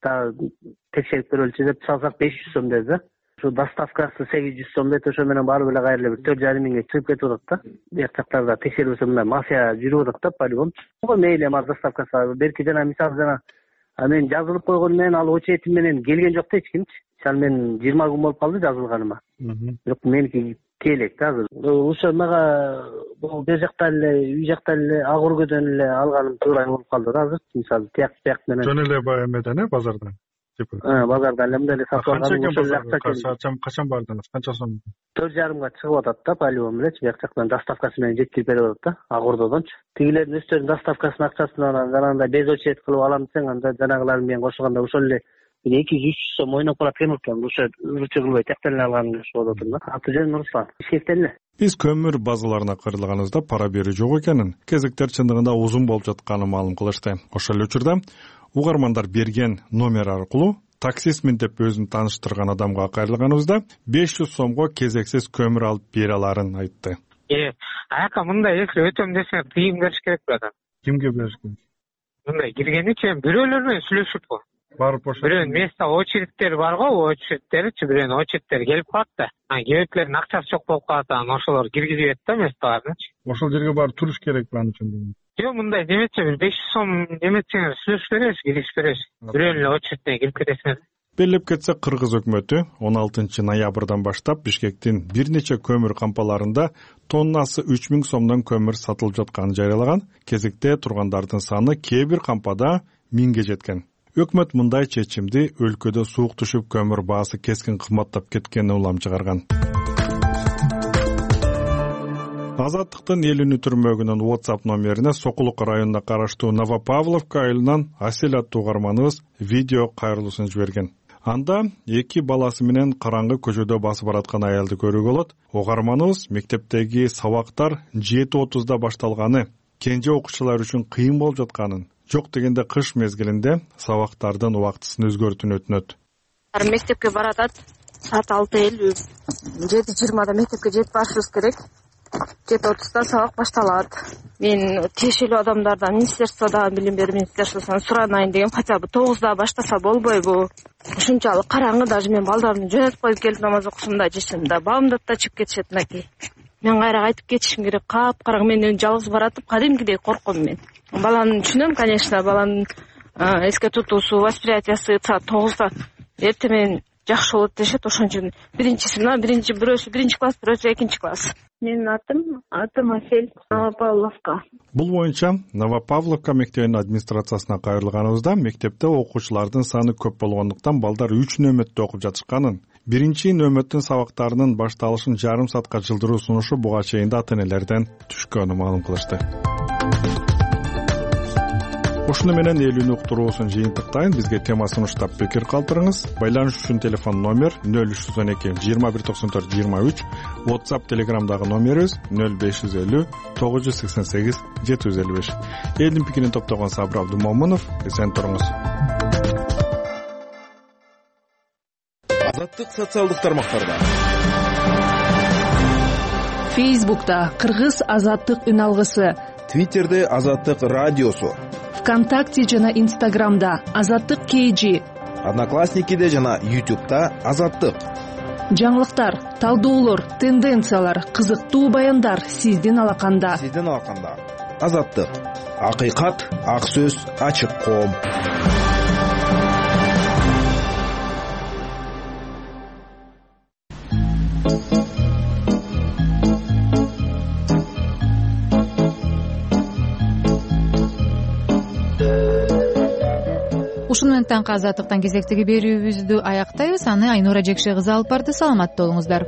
дагы текшерип көрөлүчү деп чалсак 500 сом деди да. Ошо доставкасы 800 сом дейт, ошо менен барып эле кайра эле 4,5 миңге чыгып кетип атат да. Бияк жактарда текшерүүсү мындай мафия жүрүп атат да, полигон. Ого мейли эми доставкасы берки жана мисалы жана мен жазылып койгон менен ал очередим менен келген жок да эч кимчи. Ал мен 20 күн болуп калды жазылганыма. Бирок меники келек да азыр. Ошо мага бул жакта эле, үй жакта эле ак өргөдөн эле алганым туура болуп калды да азыр. Мисалы тияк менен. Жөн эле баягы эмеден базардан. Базарда эле мындай эле сатып алган. Ошол акча качан бардыңыз? Канча сом? 4,5 чыгып атат да, полигон мененчи, бияк жактан доставкасы менен жеткирип берип атат да, ак ордодончу. Тигилердин өздөрүнүн доставкасынын акчасынан жанагындай без очеред кылып алам десең, анда жанагылар менен кошулганда ошол эле 200-300 сом ойноп калат экен. Ошо ырчы кылбай тияктан эле алганым болуп атат да. Аты жөнүм Руслан. Ишкектен эле. Биз көмүр базаларына кыйрылганыбызда пара берүү жок экенин, кезектер чындыгында узун болуп жатканын маалым кылышты. Ошол эле учурда угармандар берген номер аркылуу таксистмин деп өзүн тааныштырган адамга кайрылганыбызда 500 сомго кезексиз көмүр алып бере аларын айтты. Ака мындай, если өтөм десең, тыйым бериш керек братан. Кимге бериш керек? Мындай киргеничи бирөөлөр менен сүйлөшүп го. Барып ошо. Бирөөнүн место очередтери бар го, очередтеричи бирөөнүн очередтери келип калат да. Кебеклердин акчасы жок болуп калат, анан ошолор киргизет да местоларынычы. Ошол жерге барып туруш керек бааны үчүн. Жок, мындай деметсе, бир 500 сом деметсеңер сүйлөшүп беребиз, киргизип беребиз. Бирөөнүн эле очередине кирип кетесиңер. Белгилеп кетсек, Кыргыз өкмөтү 16 ноябрдан баштап Бишкектин бир нече көмүр кампаларында тоннасы 3000 сомдон көмүр сатылып жатканын жарыялаган. Кезекте тургандардын саны кээ бир кампада 1000ге жеткен. Өкмөт мындай чечимди өлкөдө суук түшүп көмүр баасы кескин кымбаттап кеткенине улам чыгарган. Азаттыктын эл үнү түрмөгүнүн WhatsApp номерине Сокулук районуна караштуу Новопавловка айылынан Асель аттуу угарманыбыз видео кайрылуусун жиберген. Анда эки баласы менен караңгы көчөдө басып бараткан аялды көрүүгө болот. Угарманыбыз мектептеги сабактар 7:30да башталганы, кенже окуучулар үчүн кыйын болуп жатканын, жок дегенде кыш мезгилинде сабактардын убактысын өзгөртүүнү өтүнөт. Мектепке баратат, саат 6:50, 7:20да мектепке жетип барышыбыз керек. 7:30да сабак башталат. Мен тиешелүү адамдардан, министерстводагы билим берүү министерствосунан суранайын дегем, хотя бы 9да баштаса болбойбу? Ушунчалык караңгы, даже мен балдарымды жөнөтүп коюп келип намаз окусум да, жешим да, бабымды да чыгып кетишет мынакей. Мен кайра кайтып кетишим керек, капкараңгы, мен жалгыз баратып, кадимкидей корком мен. Баланы түшүнөм, конечно, баланын эске тутуусу, восприятиясы саат 9да эртең менен жакшы болот дешет. Ошон үчүн бирөөсү 1-класс, бирөөсү 2-класс. Менин атым Асель, Новопавловка. Бул боюнча Новопавловка мектебинин администрациясына кайрылганыбызда мектепте окуучулардын саны көп болгондуктан балдар 3 нөмөттө окуп жатышканын, биринчи нөмөттүн сабактарынын башталышын жарым саатка жылдыруу сунушу буга чейин да ата-энелерден түшкөнүн маалым кылышты. Ушуну менен эл үнү уктуруусун жыйынтыктайын. Бизге тема сунуштап пикир калтырыңыз. Байланыш үчүн телефон номер 0312 2194 23, WhatsApp Telegramдагы номерибиз 0550 988 755. Элдин пикирин топтогон Сабыр Абдумомунов, эсен туруңуз. Азаттык социалдык тармактарда. Facebook'ta Кыргыз азаттык үн алгысы, Twitter'de Азаттык радиосу, ВКонтакте жана Инстаграмда Азаттык KG, Одноклассникиде жана YouTube'да Азаттык. Жаңылыктар, талдоолор, тенденциялар, кызыктуу баяндар сиздин алаканда. Азаттык. Акыйкат, ак сөз, ачык коом. Ушуну менен таңкы азаттыктан кезектеги берүүбүздү аяктайбыз. Аны Айнура Жекше кызы алып барды. Саламатта болуңуздар.